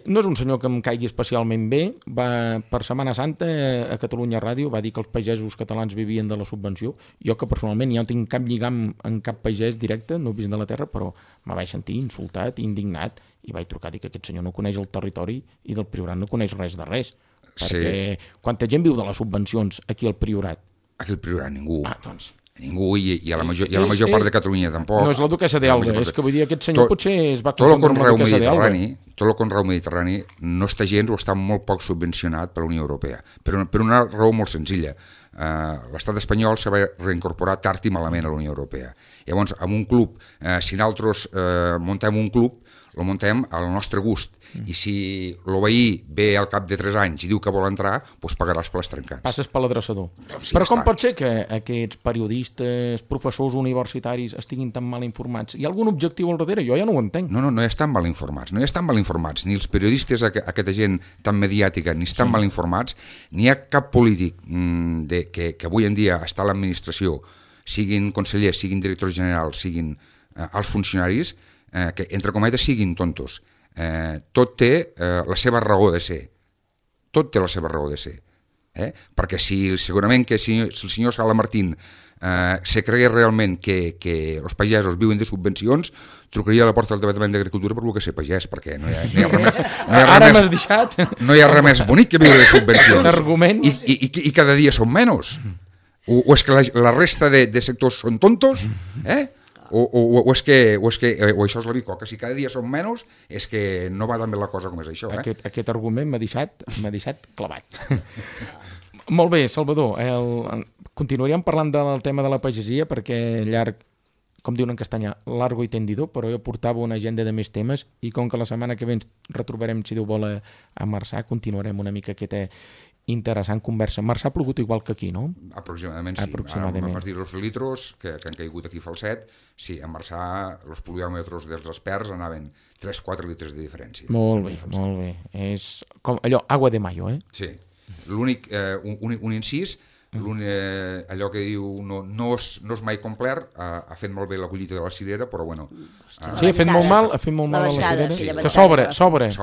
No és un senyor que em caigui especialment bé, per Setmana Santa a Catalunya Ràdio va dir que els pagesos catalans vivien de la subvenció. Jo que personalment ja no tinc cap lligam en cap pagès directe, no he vist de la terra, però me vaig sentir insultat, indignat, i vaig trucar a dir que aquest senyor no coneix el territori i del Priorat no coneix res de res. Perquè quanta gent viu de les subvencions aquí al Priorat? Aquí al Priorat ningú. Doncs... Ningú, i a la major part de Catalunya tampoc. No és la duquessa d'Elba, és que vull dir, aquest senyor potser es va confondre amb la duquessa d'Elba. Tot el conreu mediterrani no està gens o està molt poc subvencionat per la Unió Europea, per una raó molt senzilla. L'estat espanyol se va reincorporar tard i malament a la Unió Europea. Llavors, amb un club, si nosaltres muntem un club, el muntem al nostre gust, i si el veí ve al cap de 3 anys i diu que vol entrar, doncs pagaràs per les trencats. Passes per l'adreçador. Però com pot ser que aquests periodistes, professors universitaris estiguin tan mal informats? Hi ha algun objectiu al darrere? Jo ja no ho entenc. No hi estan mal informats, ni els periodistes, aquesta gent tan mediàtica, ni estan mal informats, ni hi ha cap polític que avui en dia està a l'administració, siguin consellers, siguin directors generals, siguin els funcionaris, que entre cometes siguin tontos. Tot té la seva raó de ser. Tot té la seva raó de ser. Perquè segurament que si el senyor Sala Martín se cregués realment que els pagesos viuen de subvencions, trucaria a la porta del Departament d'Agricultura per voler ser pagès, perquè no hi ha res més bonic que viure de subvencions. I cada dia són menys. O és que la resta de sectors són tontos, o això és la bicoca, si cada dia són menys és que no va tan bé la cosa com és això. Aquest argument m'ha deixat clavat. Molt bé, Salvador, continuaríem parlant del tema de la pagesia perquè llarg com diuen en castellà, largo i tendido, però jo portava una agenda de més temes i com que la setmana que ve ens retrobarem, si Déu vol, a Marçà, continuarem una mica aquesta interessant conversa. Marçà ha plogut igual que aquí, no? Aproximadament sí. Aproximadament. Vas dir els litros que han caigut aquí a Falset, sí, a Marçà els pluviòmetres dels experts anaven 3-4 litres de diferència. Molt bé, molt bé. És com allò, agua de mayo, eh? Sí. L'únic, un incís, allò que diu no és mai complet, ha fet molt bé la collita de la cirera, però bueno... Sí, ha fet molt mal a la cirera, que sobren.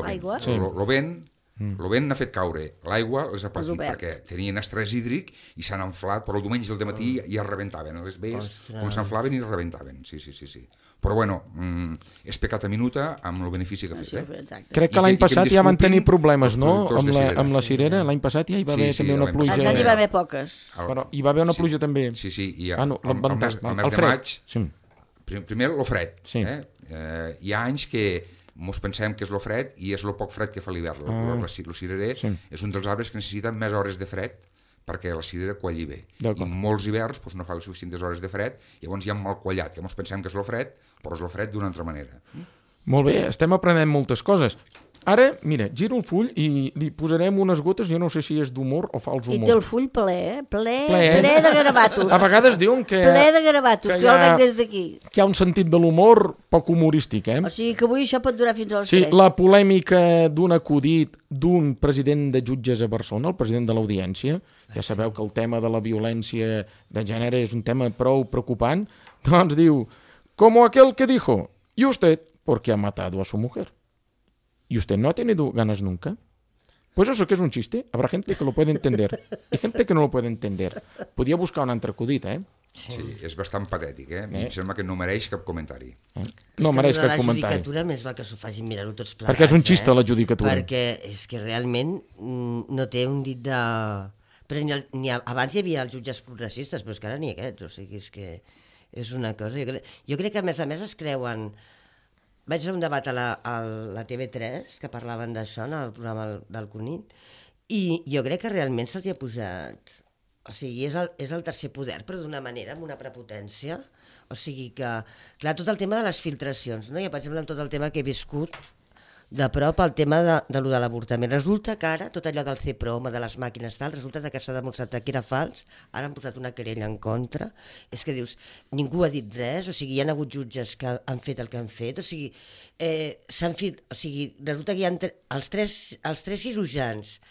Aigua? El vent n'ha fet caure, l'aigua les ha patit perquè tenien estrès hídric i s'han inflat, però el diumenge al matí ja rebentaven, a les veies com s'enflaven i rebentaven, sí. Però bueno, és pecat a minuta amb el benefici que ha fet. Crec que l'any passat ja van tenir problemes, no?, amb la cirera, l'any passat ja hi va haver també una pluja. Aquest any hi va haver poques. Però hi va haver una pluja també. Sí, i al mes de maig, primer el fred, hi ha anys que mos pensem que és el fred i és el poc fred que fa l'hivern. El cirerer és un dels arbres que necessita més hores de fred perquè la cirera qualli bé. I molts hiverns no fa les suficients hores de fred, llavors hi ha mal quallat, que mos pensem que és el fred, però és el fred d'una altra manera. Molt bé, estem aprenent moltes coses. Ara, mira, giro el full i li posarem unes gotes, jo no sé si és d'humor o fals humor. I té el full ple de garabatos. A vegades diuen que... Ple de garabatos, que jo el veig des d'aquí. Que hi ha un sentit de l'humor poc humorístic, O sigui que avui això pot durar fins a les 3. Sí, la polèmica d'un acudit d'un president de jutges a Barcelona, el president de l'Audiència, ja sabeu que el tema de la violència de gènere és un tema prou preocupant, doncs diu, como aquel que dijo, y usted, porque ha matado a su mujer. ¿Y usted no ha tenido ganas nunca? Pues eso que es un chiste. Habrá gente que lo puede entender y gente que no lo puede entender. Podia buscar un altre acudit, Sí, és bastant patètic, Em sembla que no mereix cap comentari. No mereix cap comentari. La judicatura més val que s'ho facin mirar-ho tots plegats. Perquè és un xiste, la judicatura. Perquè és que realment no té un dit de... Però abans hi havia els jutges progressistes, però és que ara ni aquests, o sigui, és que és una cosa... Jo crec que a més es creuen... Vaig fer un debat a la TV3 que parlaven d'això en el programa del Cunit i jo crec que realment se'ls ha posat... O sigui, és el tercer poder, però d'una manera, amb una prepotència. O sigui que, clar, tot el tema de les filtracions, no? Jo, per exemple, amb tot el tema que he viscut de prop, el tema de lo de l'avortament. Resulta que ara, tot allò del CPROM, de les màquines tal, resulta que s'ha demostrat que era fals, ara han posat una querella en contra. És que dius, ningú ha dit res, o sigui, hi ha hagut jutges que han fet el que han fet, o sigui, resulta que hi ha els tres cirurgians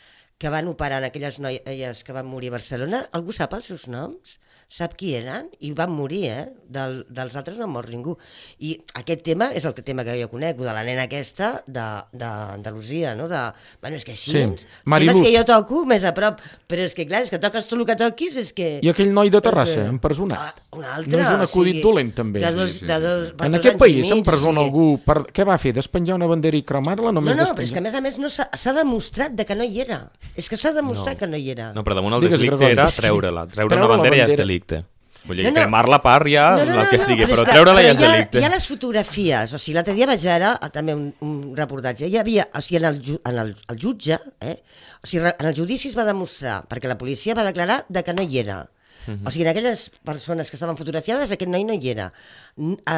que van operar en aquelles noies que van morir a Barcelona, algú sap els seus noms? Sap qui eren? I van morir, dels altres no ha mort ningú. I aquest tema és el tema que jo conec, de la nena aquesta d'Andalusia, no? Bueno, és que així, temes que jo toco més a prop, però és que clar, és que toques tot el que toquis, és que... I aquell noi de Terrassa, empresonat. Un altre, no és un acudit dolent, també. En aquest país s'empresona algú... Què va fer? Despenjar una bandera i cremar-la? No, però és que a més s'ha demostrat que no hi era. És que s'ha demostrat que no hi era. No, però damunt el delicte era treure-la. Treure una bandera ja és delicte. Vull dir, cremar-la a part ja, el que sigui, però treure-la ja és delicte. Hi ha les fotografies, o sigui, l'altre dia vaig veure també un reportatge, hi havia, o sigui, el jutge, o sigui, en el judici es va demostrar, perquè la policia va declarar que no hi era. O sigui, en aquelles persones que estaven fotografiades, aquest noi no hi era.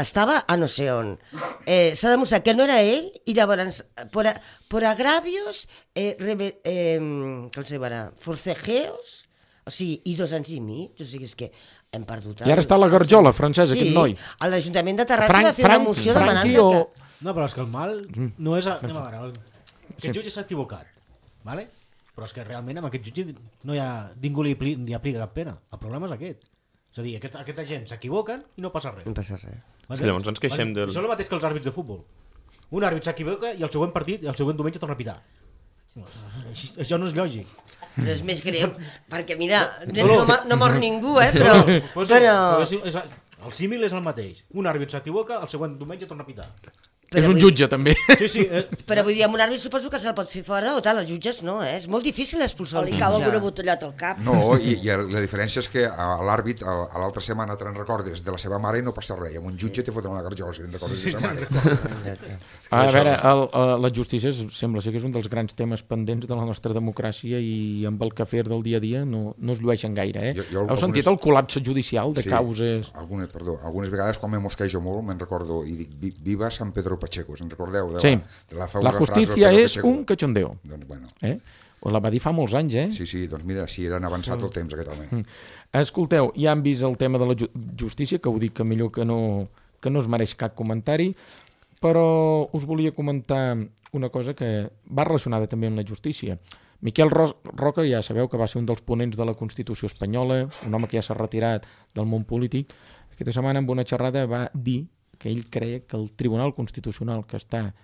Estava a no sé on. S'ha demostrat que no era ell, i llavors, por agravios, forcejeos, o sigui, i 2 anys i mig, o sigui, és que hem perdut... I ara està a la garjola, francès, aquest noi. Sí, a l'Ajuntament de Terrassa va fer una moció demanant que... No, però és que el mal no és... Anem a veure, aquest jutge s'ha equivocat, ¿vale? Però és que realment amb aquest jutge no hi ha... ningú li aplica cap pena. El problema és aquest. És a dir, aquesta gent s'equivoquen i no passa res. No passa res. Sí, llavors ens queixem del... Això és el mateix que els àrbits de futbol. Un àrbit s'equivoca i el següent partit, el següent diumenge torna a pitar. Això no és lògic. Però és més greu, perquè mira, no mor ningú, però... El símil és el mateix. Un àrbit s'equivoca, el següent diumenge torna a pitar. És un jutge, també. Sí, Però vull dir, amb un àrbit suposo que se'l pot fer fora o tal, els jutges no, És molt difícil expulsar O un li cau alguna jutge. botellota al cap. No, i la diferència és que a l'àrbit, a l'altra setmana te'n recordes de la seva mare i no passa res. I amb un jutge te foten una garjola si te'n recordes de la seva mare. A veure, la justícia sembla ser que és un dels grans temes pendents de la nostra democràcia i amb el quefer del dia a dia no es llueixen gaire. Heu sentit el col·lapse judicial de causes? Algunes vegades quan me mosquejo molt me'n recordo i dic, viva San Pedro Pacheco, se'n recordeu? Sí, la justícia és Pacheco. un cachondeo. Doncs bueno. La va dir fa molts anys, Sí, doncs mira, sí, eren avançat el temps aquest home. Escolteu, ja han vist el tema de la justícia, que ho dic que millor que no es mereix cap comentari, però us volia comentar una cosa que va relacionada també amb la justícia. Miquel Roca, ja sabeu que va ser un dels ponents de la Constitució espanyola, un home que ja s'ha retirat del món polític. Aquesta setmana, en una xerrada, va dir que ell creia que el Tribunal Constitucional, que està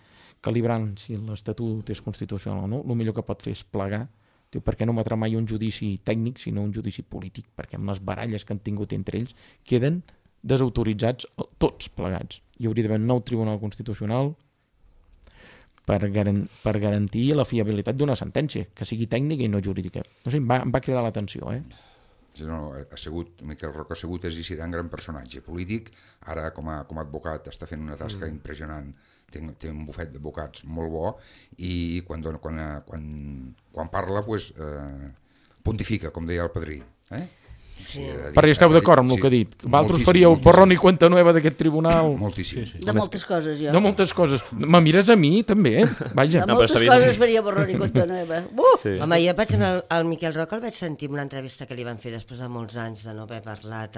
calibrant si l'Estatut és constitucional o no, el millor que pot fer és plegar. Diu, per què no emetrà mai un judici tècnic, sinó un judici polític? Perquè amb les baralles que han tingut entre ells queden desautoritzats tots plegats. Hi hauria d'haver un nou Tribunal Constitucional per garantir la fiabilitat d'una sentència, que sigui tècnica i no jurídica. No sé, em va cridar l'atenció, No, Miquel Roca ha sigut i serà un gran personatge polític, ara com a advocat està fent una tasca impressionant, té un bufet d'advocats molt bo i quan parla pontifica, com deia el padrí. Sí. Però esteu d'acord amb el que ha dit? Vosaltres faríeu borrón i cuenta nueva d'aquest tribunal? Moltíssim. De moltes coses, jo. De moltes coses. Me mires a mi, també? Vaja. De moltes coses faria borrón i cuenta nueva. Home, jo, per exemple, el Miquel Roca el vaig sentir en una entrevista que li van fer després de molts anys de no haver parlat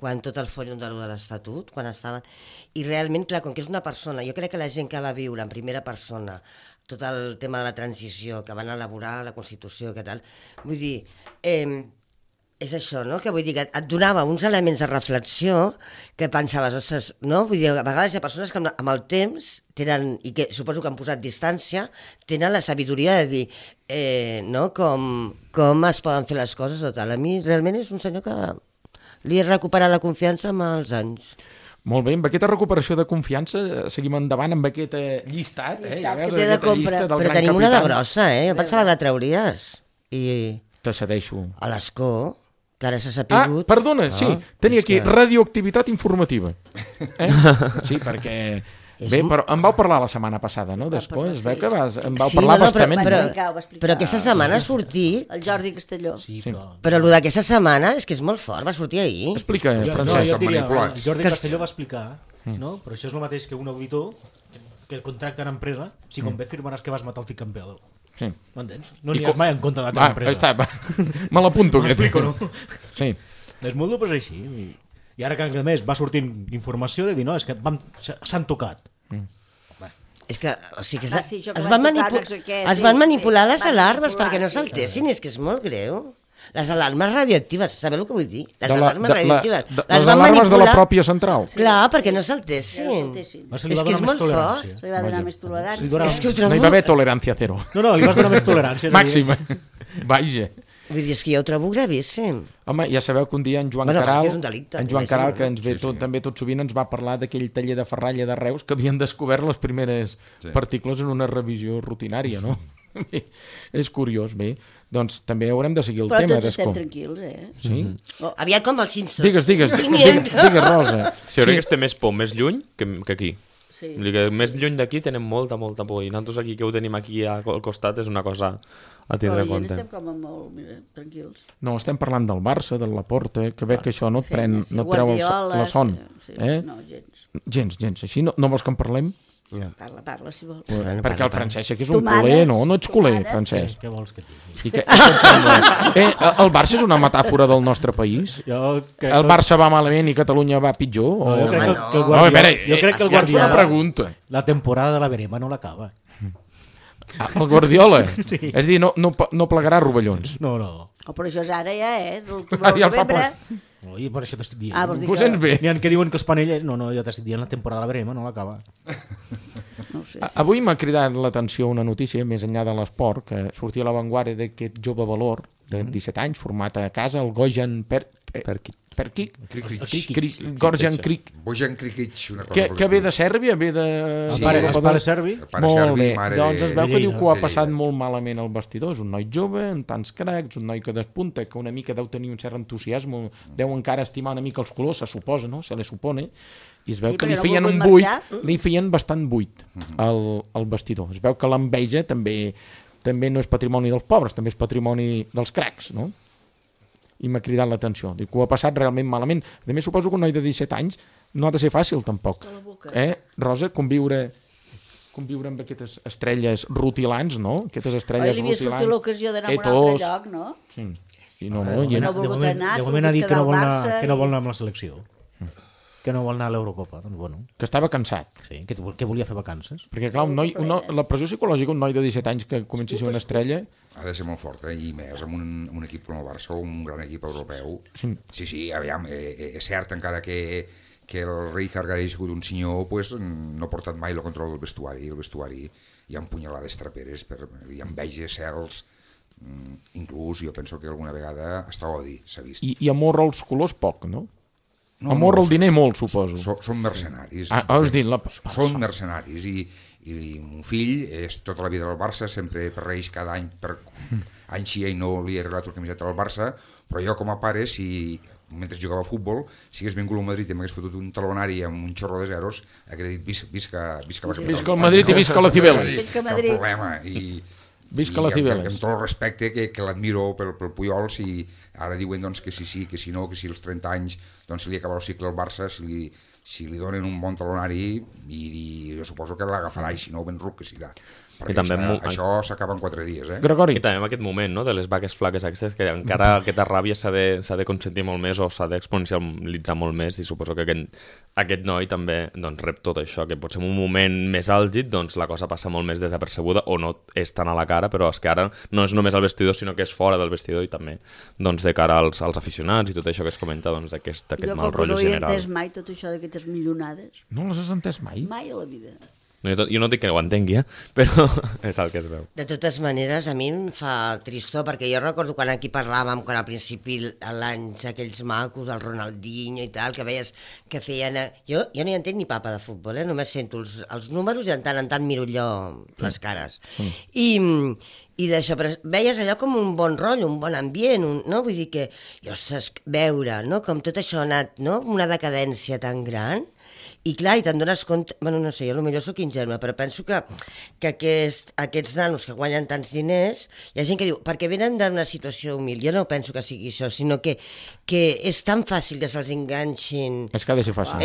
quan tot el follon de l'Estatut, quan estaven... I realment, clar, com que és una persona, jo crec que la gent que va viure en primera persona tot el tema de la transició, que van elaborar la Constitució, que tal, vull dir... És això, no? Que vull dir que et donava uns elements de reflexió que pensaves, ostres, no? Vull dir, a vegades hi ha persones que amb el temps tenen, i que suposo que han posat distància, tenen la sabidoria de dir no? Com es poden fer les coses o tal. A mi realment és un senyor que li he recuperat la confiança amb els anys. Molt bé, amb aquesta recuperació de confiança seguim endavant amb aquest llistat. Llistat que té de compra. Però tenim una de grossa, Jo pensava que la trauries. I... Te cedeixo. A l'escó, que ara s'ha sapigut... Perdona, sí, tenia aquí radioactivitat informativa. Sí, perquè... Bé, però em vau parlar la setmana passada, no, d'escó? Es veu que em vau parlar bastament. Però aquesta setmana ha sortit... El Jordi Castelló. Però el d'aquesta setmana és que és molt fort, va sortir ahir. Explica, Francesc. Jo diria, el Jordi Castelló va explicar, no? Però això és el mateix que un auditor que el contracta en empresa, si convé firmaràs que vas matar el tic campeador. Sí. M'entens? No n'hi ha mai en compte de la teva empresa. Me l'apunto. M'explico, no? Sí. És molt dur, però és així. I ara que a més va sortint informació de dir, no, és que s'han tocat. És que, o sigui, es van manipular les alarmes perquè no saltessin, és que és molt greu. Les alarmes radioactives, sabeu el que vull dir? Les alarmes radioactives. Les alarmes de la pròpia central. Clar, perquè no saltessin. És que és molt fort. Se li va donar més tolerància. No hi va haver tolerància zero. No, li vas donar més tolerància. Màxima. Vaja. Vull dir, és que jo ho trobo gravíssim. Home, ja sabeu que un dia en Joan Caral, que ens ve també tot sovint, ens va parlar d'aquell taller de ferralla de Reus que havien descobert les primeres partícules en una revisió rutinària, no? Bé, és curiós, bé. Doncs també haurem de seguir el tema. Però tots estem tranquils, Sí? Aviat com els Simpsons. Digues, Rosa. Sí, jo crec que té més por més lluny que aquí. Sí. Més lluny d'aquí tenem molta por i nosaltres aquí que ho tenim aquí al costat és una cosa a tindre en compte. Estem com molt tranquils. No, estem parlant del Barça, de la Porta, que veig que això no et treu la son. No, gens. Gens. Així no vols que en parlem? Parla, si vols. Perquè el Francesc que és un culer, no ets culer, Francesc. Què vols que et digui? El Barça és una metàfora del nostre país? El Barça va malament i Catalunya va pitjor? Jo crec que el Guardiola la temporada de la verema no l'acaba. El Guardiola? Sí. És a dir, no plegarà rovellons. No. Però això és ara ja, Ja el fa por. I per això t'estic dient. Ho sents bé? N'hi ha que diuen que els panelles... No, jo t'estic dient la temporada de la verema no l'acaba. No sé. Avui m'ha cridat l'atenció una notícia, més enllà de l'esport, que sortia a l'avantguàrdia d'aquest jove valor de 17 anys, format a casa, el Gojan Gorjan Krikic. Bojan Krikic, una cosa Que ve de Sèrbia, ve de... El pare serbi. Molt bé, doncs es veu que diu que ho ha passat molt malament al vestidor. És un noi jove, amb tants cracs, un noi que despunta, que una mica deu tenir un cert entusiasme, deu encara estimar una mica els colors, se suposa, no? Se li supone, i es veu que li feien un buit, li feien bastant buit al vestidor. Es veu que l'enveja també no és patrimoni dels pobres, també és patrimoni dels cracs, no? I m'ha cridat l'atenció. Dic que ho ha passat realment malament. A més, suposo que un noi de 17 anys no ha de ser fàcil, tampoc. Rosa, conviure amb aquestes estrelles rutilants, no? Aquestes estrelles rutilants. Li havia sortit l'ocasió d'anar a un altre lloc, no? Sí. De moment ha dit que no vol anar amb la selecció. Que no vol anar a l'Eurocopa, doncs bueno. Que estava cansat. Sí, que volia fer vacances. Perquè clar, la pressió psicològica, un noi de 17 anys que comenci a ser una estrella... Ha de ser molt fort, i més amb un equip com el Barça, un gran equip europeu. Sí, aviam, és cert encara que el Rijkaard ha sigut un senyor, pues, no ha portat mai el control del vestuari. El vestuari hi ha punyalades traperes, hi ha enveges, cels, inclús jo penso que alguna vegada hasta odi s'ha vist. I amor als colors poc, no? Amor al diner molt, suposo. Són mercenaris. Són mercenaris i un fill és tota la vida del Barça, sempre perreix cada any per any sí i no li he regalat la camiseta del Barça, però jo com a pare, si mentre jugava a futbol, si hagués vingut al Madrid i m'hagués fotut un talonari amb un xorro de zeros, hauria dit visca la capital. Visca el Madrid i visca la Cibeles. Visca Madrid. Cap problema. Visca la Cibeles. Amb tot el respecte que l'admiro pel Puyol, si ara diuen doncs, que sí, que si no, que si als 30 anys doncs, se li acaba el cicle al Barça, si li donen un bon talonari, i jo suposo que l'agafarà, i si no, ben ruc que serà. Perquè també això s'acaba en 4 dies. Gregori. I també en aquest moment, no?, de les vaques flaques aquestes, que encara aquesta ràbia s'ha de consentir molt més o s'ha d'exponencialitzar molt més, i suposo que aquest noi també doncs, rep tot això, que potser en un moment més àlgid doncs, la cosa passa molt més desapercebuda o no és tan a la cara, però és que ara no és només al vestidor, sinó que és fora del vestidor i també doncs, de cara als aficionats i tot això que es comenta doncs, aquest mal rotllo general. Jo no he entès mai tot això d'aquestes millonades. No les has entès mai? Mai a la vida. Jo no dic que ho entengui, però és el que es veu. De totes maneres, a mi em fa tristor, perquè jo recordo quan aquí parlàvem, quan al principi l'anys aquells macos, el Ronaldinho i tal, que veies que feien... Jo no hi entenc ni papa de futbol, només sento els números i de tant en tant miro allò les cares. I d'això, però veies allò com un bon rotllo, un bon ambient, no? Vull dir que jo veure, no? Com tot això ha anat, no? Una decadència tan gran. I clar, i te'n dones compte, bueno, no sé, jo potser soc ingenua, però penso que aquests nanos que guanyen tants diners, hi ha gent que diu, perquè venen d'una situació humil, jo no penso que sigui això, sinó que és tan fàcil que se'ls enganxin... És que ha de ser fàcil.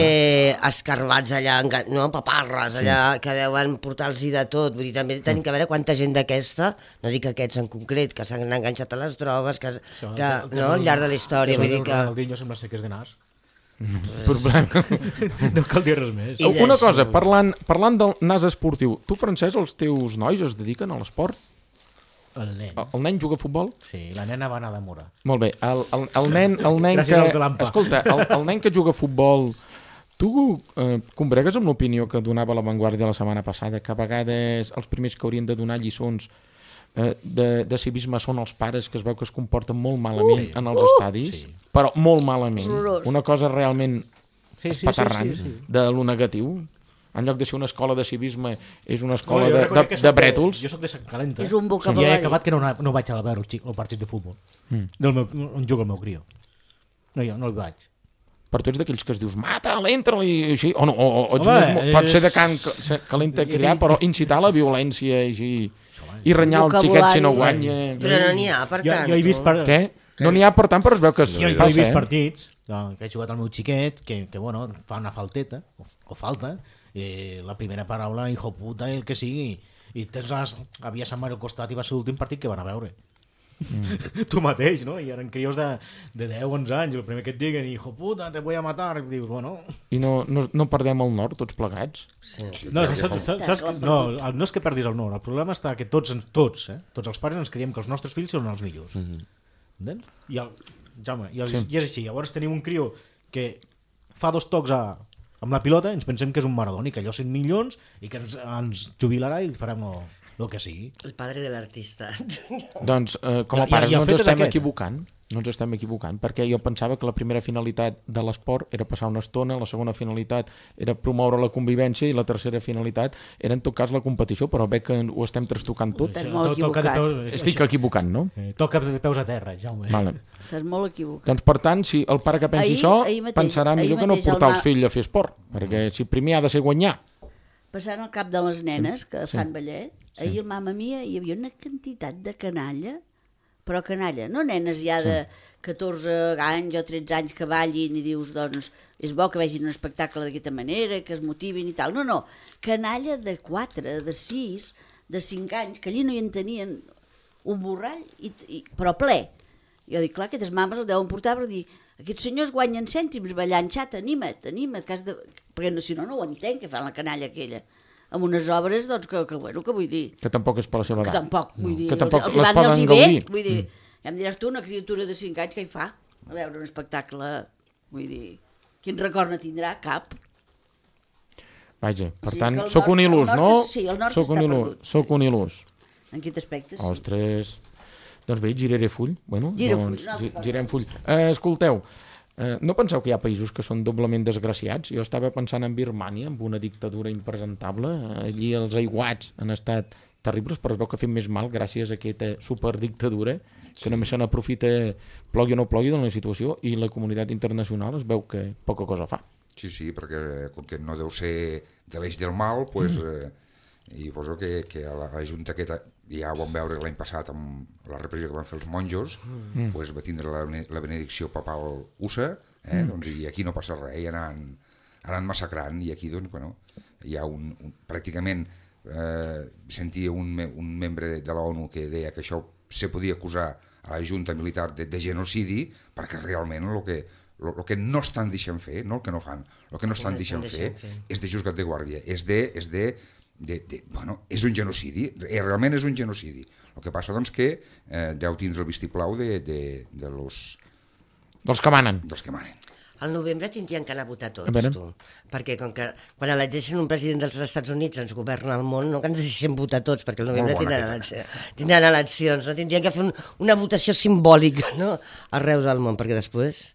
Escarbats allà, no, paparres allà, que deuen portar-los de tot, vull dir, també tenim que veure quanta gent d'aquesta, no dic aquests en concret, que s'han enganxat a les drogues, no, al llarg de la història, vull dir que... El Ronaldinho sembla ser que és de nas. No cal dir res més. Una cosa, parlant del nas esportiu, tu, Francesc, els teus nois es dediquen a l'esport? El nen. El nen juga a futbol? Sí, la nena va anar de Mora. Molt bé, el nen que... Escolta, el nen que juga a futbol, tu combregues amb l'opinió que donava La Vanguardia la setmana passada, que a vegades els primers que haurien de donar lliçons de civisme són els pares, que es veu que es comporten molt malament en els estadis, però molt malament, una cosa realment espaterrant de lo negatiu. En lloc de ser una escola de civisme és una escola de brètols. Jo soc de Sant Calenta, és un vocabulari. I he acabat que no vaig a veure el partit de futbol on juga el meu crio. No hi vaig. Per tu ets d'aquells que es dius mata-la, entra-li, així, o no, pot ser de can calenta criar, però incitar la violència i renyar el xiquet si no guanya. Però no n'hi ha, per tant. Jo he vist Què? No n'hi ha, per tant, però es veu que jo he vist partits que he jugat al meu xiquet, que bueno, fa una falteta, o falta, la primera paraula, hijo puta, el que sigui, i havia Sant Mario al costat i va ser l'últim partit que van a veure. Tu mateix, no? I eren crios de 10-11 anys, el primer que et diguen, hijo puta, te voy a matar, i dius, bueno... I no perdem el nord, tots plegats? No és que perdis el nord, el problema està que tots els pares ens creiem que els nostres fills són els millors. Entens? I és així, llavors tenim un criu que fa 2 tocs amb la pilota, ens pensem que és un Maradona i que allò 100 milions i que ens jubilarà i farem el que sigui. El padre de l'artista. Doncs com a pares no ens estem equivocant. No ens estem equivocant, perquè jo pensava que la primera finalitat de l'esport era passar una estona, la segona finalitat era promoure la convivència i la tercera finalitat era en tot cas la competició, però veig que ho estem trastocant tot. Estàs molt equivocat. Estic equivocant, no? Toca de peus a terra, Jaume. Vale. Estàs molt equivocat. Doncs per tant, si el pare que pensi això pensarà millor que no portar els fills a fer esport, perquè si primer ha de ser guanyar. Passant al cap de les nenes que fan ballet, ahir al Mamma Mia hi havia una quantitat de canalla, però canalla, no nenes ja de 14 anys o 13 anys que ballin i dius, doncs, és bo que vegin un espectacle d'aquesta manera, que es motivin i tal. No, canalla de 4, de 6, de 5 anys, que allí no hi en tenien un borrall, però ple. Jo dic, clar, aquestes mames el deuen portar per dir, aquests senyors guanyen cèntims ballant, xat, anima't, perquè si no ho entenc, que fan la canalla aquella. Amb unes obres, doncs, que vull dir... Que tampoc és per la seva edat. Que tampoc, vull dir... Que tampoc els les poden gaudir. Vull dir, ja em diràs tu, una criatura de 5 anys, què hi fa? A veure un espectacle, vull dir... Quin record no tindrà? Cap. Vaja, per tant, sóc un il·lús, no? Sí, el nord està perdut. Sóc un il·lús. En aquest aspecte, sí. Ostres... Doncs bé, giraré full. Bueno, girem full. Escolteu, no penseu que hi ha països que són doblement desgraciats? Jo estava pensant en Birmània, amb una dictadura impresentable. Allí els aiguats han estat terribles, però es veu que ha fet més mal gràcies a aquesta superdictadura, que només se n'aprofita, plogui o no plogui, de la situació, i la comunitat internacional es veu que poca cosa fa. Sí, perquè com que no deu ser de l'eix del mal, doncs... I poso que a la Junta aquesta, ja ho vam veure l'any passat amb la repressió que van fer els monjos, doncs va tindre la benedicció papal USA, doncs, i aquí no passa res, i anant massacrant, i aquí doncs, bueno, hi ha pràcticament sentia un membre de l'ONU que deia que això se podia acusar a la Junta Militar de genocidi, perquè realment el que no estan deixant fer, no el que no fan, el que no estan deixant fer és de juzgat de guàrdia, bueno, és un genocidi, realment és un genocidi. El que passa doncs que deu tindre el vistiplau dels que manen. Al novembre tindrien que anar a votar tots, tu. Perquè com que quan elegeixen un president dels Estats Units ens governa el món, no que ens deixem votar tots, perquè al novembre tindran eleccions, no? Tindrien que fer una votació simbòlica, no? Arreu del món, perquè després...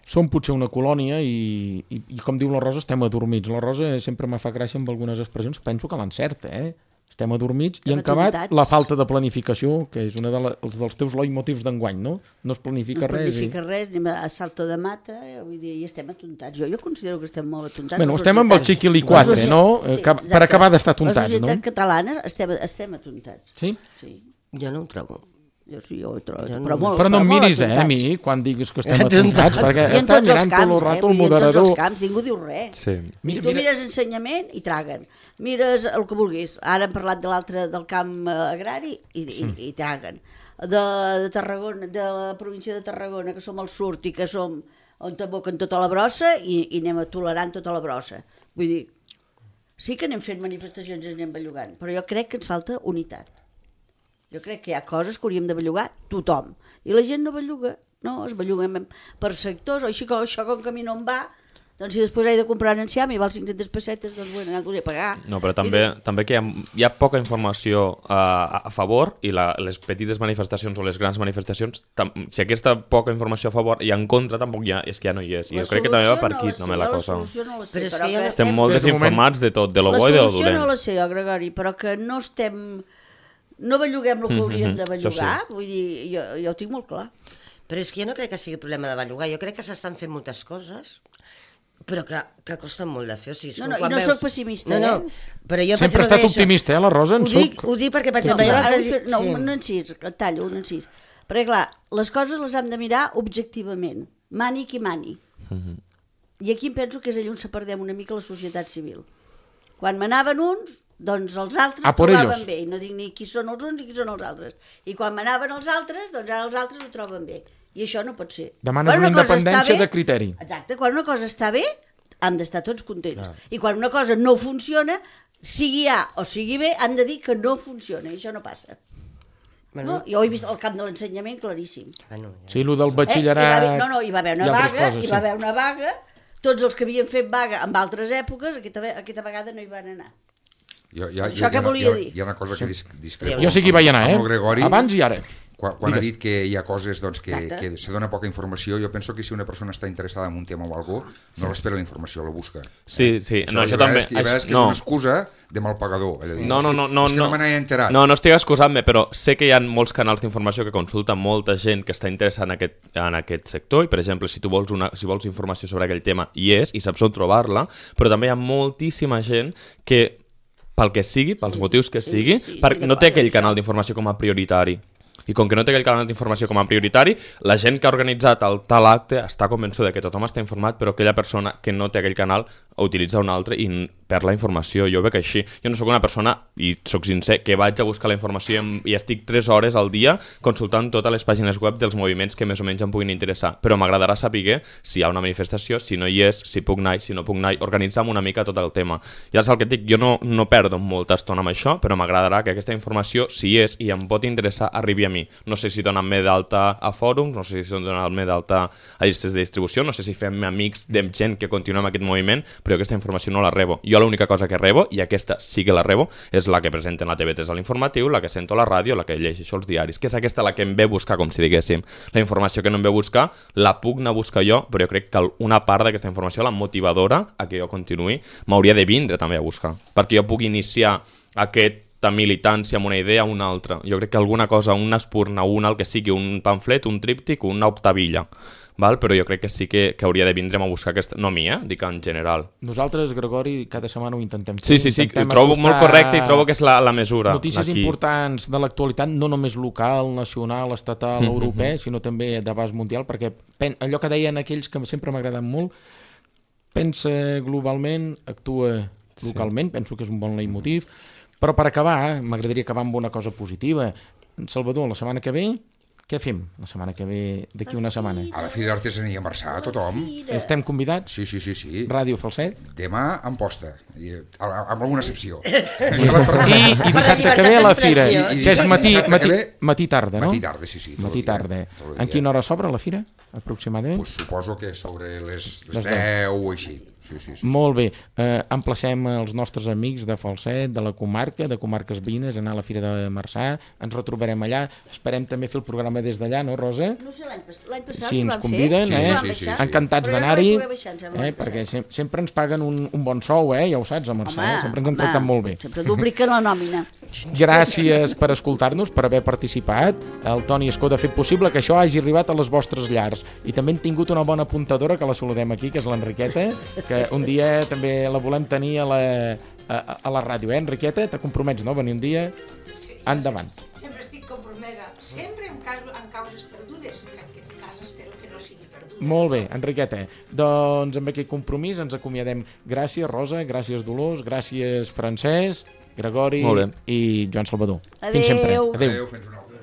Som potser una colònia i com diu la Rosa, estem adormits. La Rosa sempre me fa gràcia amb algunes expressions, penso que l'encerta, Estem adormits i en acabat la falta de planificació, que és un dels teus leitmotivs d'enguany, no? No es planifica res. No es planifica res, anem a salto de mata, vull dir, i estem atontats. Jo considero que estem molt atontats. Bueno, estem amb el xiquili-quatre, no? Per acabar d'estar atontats, no? La societat catalana estem atontats. Sí? Sí. Jo no ho trobo. Jo sí, jo ho trobo. Però no em miris, a mi, quan diguis que estem atontats, perquè està mirant tot el rato el moderador. I en tots els camps, ningú diu res. I tu mires ensenyament i traguen. Mires el que vulguis. Ara hem parlat de l'altre, del camp agrari, i traguen. De Tarragona, de la província de Tarragona, que som al sud i que som on t'aboquen tota la brossa i anem tolerant tota la brossa. Vull dir, sí que anem fent manifestacions i anem bellugant, però jo crec que ens falta unitat. Jo crec que hi ha coses que hauríem de bellugar tothom. I la gent no belluga. No, es belluguem per sectors, o així com això com que a mi no em va, doncs si després he de comprar en enciam i val 500 pessetes, doncs bueno, ja t'ho he de pagar. No, però també que hi ha poca informació a favor i les petites manifestacions o les grans manifestacions, si aquesta poca informació a favor i en contra tampoc hi ha, és que ja no hi és. I jo crec que també va per aquí també la cosa. La solució no la sé, però que estem molt desinformats de tot, de lo bo i de lo dolent. La solució no la sé, Gregori, però que no estem... No belluguem el que hauríem de bellugar, vull dir, jo ho tinc molt clar. Però és que jo no crec que sigui problema de bellugar, jo crec que s'estan fent moltes coses, però que costen molt de fer. O sigui, i no soc pessimista, però jo, sempre ha estat optimista, la Rosa, en soc. Ho dic perquè, per exemple... No encís, tallo, un encís. Perquè, clar, les coses les hem de mirar objectivament, mani qui mani. I aquí em penso que és allà on se perdem una mica la societat civil. Quan manaven uns, doncs els altres trobaven bé, i no dic ni qui són els uns i qui són els altres. I quan manaven els altres, doncs ara els altres ho troben bé. I això no pot ser. Demanes una independència de criteri. Exacte, quan una cosa està bé, hem d'estar tots contents. I quan una cosa no funciona, sigui A o sigui B, hem de dir que no funciona, i això no passa. No? Jo he vist el camp de l'ensenyament claríssim. Sí, el del batxillerat... Hi va haver una vaga, tots els que havien fet vaga en altres èpoques, aquesta vegada no hi van anar. Això què volia dir? Hi ha una cosa que discrepo. Jo sí que hi vaig anar, abans i ara. Quan ha dit que hi ha coses que se dona poca informació, jo penso que si una persona està interessada en un tema o alguna cosa, no l'espera la informació, la busca. Sí. No, això també. I a vegades que és una excusa de mal pagador. No. És que no me n'he enterat. No estic excusant-me, però sé que hi ha molts canals d'informació que consulta molta gent que està interessada en aquest sector, i per exemple, si vols informació sobre aquell tema, hi és, i saps on trobar-la, però també hi ha moltíssima gent que, pel que sigui, pels motius que sigui, no té aquell canal d'informació com a prioritari. I com que no té aquell canal d'informació com a prioritari, la gent que ha organitzat el tal acte està convençuda que tothom està informat, però aquella persona que no té aquell canal utilitza un altre i perd la informació. Jo ho veig així. Jo no sóc una persona, i sóc sincer, que vaig a buscar la informació i estic 3 hores al dia consultant totes les pàgines web dels moviments que més o menys em puguin interessar, però m'agradarà saber si hi ha una manifestació, si no hi és, si puc anar, si no puc anar, organitzar una mica tot el tema. I ara és el que et dic, jo no perdo molta estona amb això, però m'agradarà que aquesta informació, si és i em pot interessar, arribi a mi. No sé si donen-me d'alta a fòrums, no sé si donen-me d'alta a llistes de distribució, no sé si fem amics de gent que continua amb aquest moviment, però aquesta informació no la rebo. Jo l'única cosa que rebo, i aquesta sí que la rebo, és la que presenten la TV3 a l'informatiu, la que sento a la ràdio, la que llegeixo els diaris, que és aquesta la que em ve buscar, com si diguéssim. La informació que no em ve buscar, la puc anar a buscar jo, però jo crec que una part d'aquesta informació, la motivadora a que jo continuï, m'hauria de vindre també a buscar, perquè jo puc iniciar aquesta militància amb una idea o una altra. Jo crec que alguna cosa, una espurna, el que sigui, un pamflet, un tríptic, una octavilla, val? Però jo crec que sí que hauria de vindre'm a buscar aquesta... No a mi, dic en general. Nosaltres, Gregori, cada setmana ho intentem fer. Sí, ho trobo molt correcte i trobo que és la mesura. Notícies importants de l'actualitat, no només local, nacional, estatal, europeu, sinó també d'abast mundial, perquè allò que deien aquells que sempre m'agraden molt, pensa globalment, actua localment, penso que és un bon leitmotiv, però per acabar, m'agradaria acabar amb una cosa positiva. Salvador, la setmana que ve, què fem la setmana que ve, d'aquí una setmana? A la Fira d'Artesania a Marçà, tothom. Estem convidats? Sí. Ràdio Falset? Demà en posta, amb alguna excepció. I dissabte que ve a la Fira, que és matí-tarda, no? Matí-tarda, sí. Matí-tarda. En quina hora s'obre la Fira, aproximadament? Pues suposo que sobre les 10 o així. Sí. Molt bé, emplacem els nostres amics de Falset, de la comarca, de comarques veïnes, a anar a la Fira de Marçà, ens retrobarem allà, esperem també fer el programa des d'allà, no, Rosa? No sé, l'any passat si ens conviden, sí. Encantats d'anar-hi, perquè sempre ens paguen un bon sou, ja ho saps, a Marçà, sempre ens han tractat molt bé. Sempre dupliquen la nòmina. Gràcies per escoltar-nos, per haver participat. El Toni Escó ha fet possible que això hagi arribat a les vostres llars. I també hem tingut una bona apuntadora, que la saludem aquí, que és l'Enriqueta, que un dia també la volem tenir a la ràdio. Enriqueta, te compromets, no? Venir un dia? Endavant. Sempre estic compromesa, sempre en causes perdudes, que en aquest cas espero que no sigui perduda. Molt bé, Enriqueta. Doncs amb aquest compromís ens acomiadem. Gràcies, Rosa, gràcies, Dolors, gràcies, Francesc, Gregori i Joan Salvador. Adéu. Fins sempre. Adéu. Fins una altra.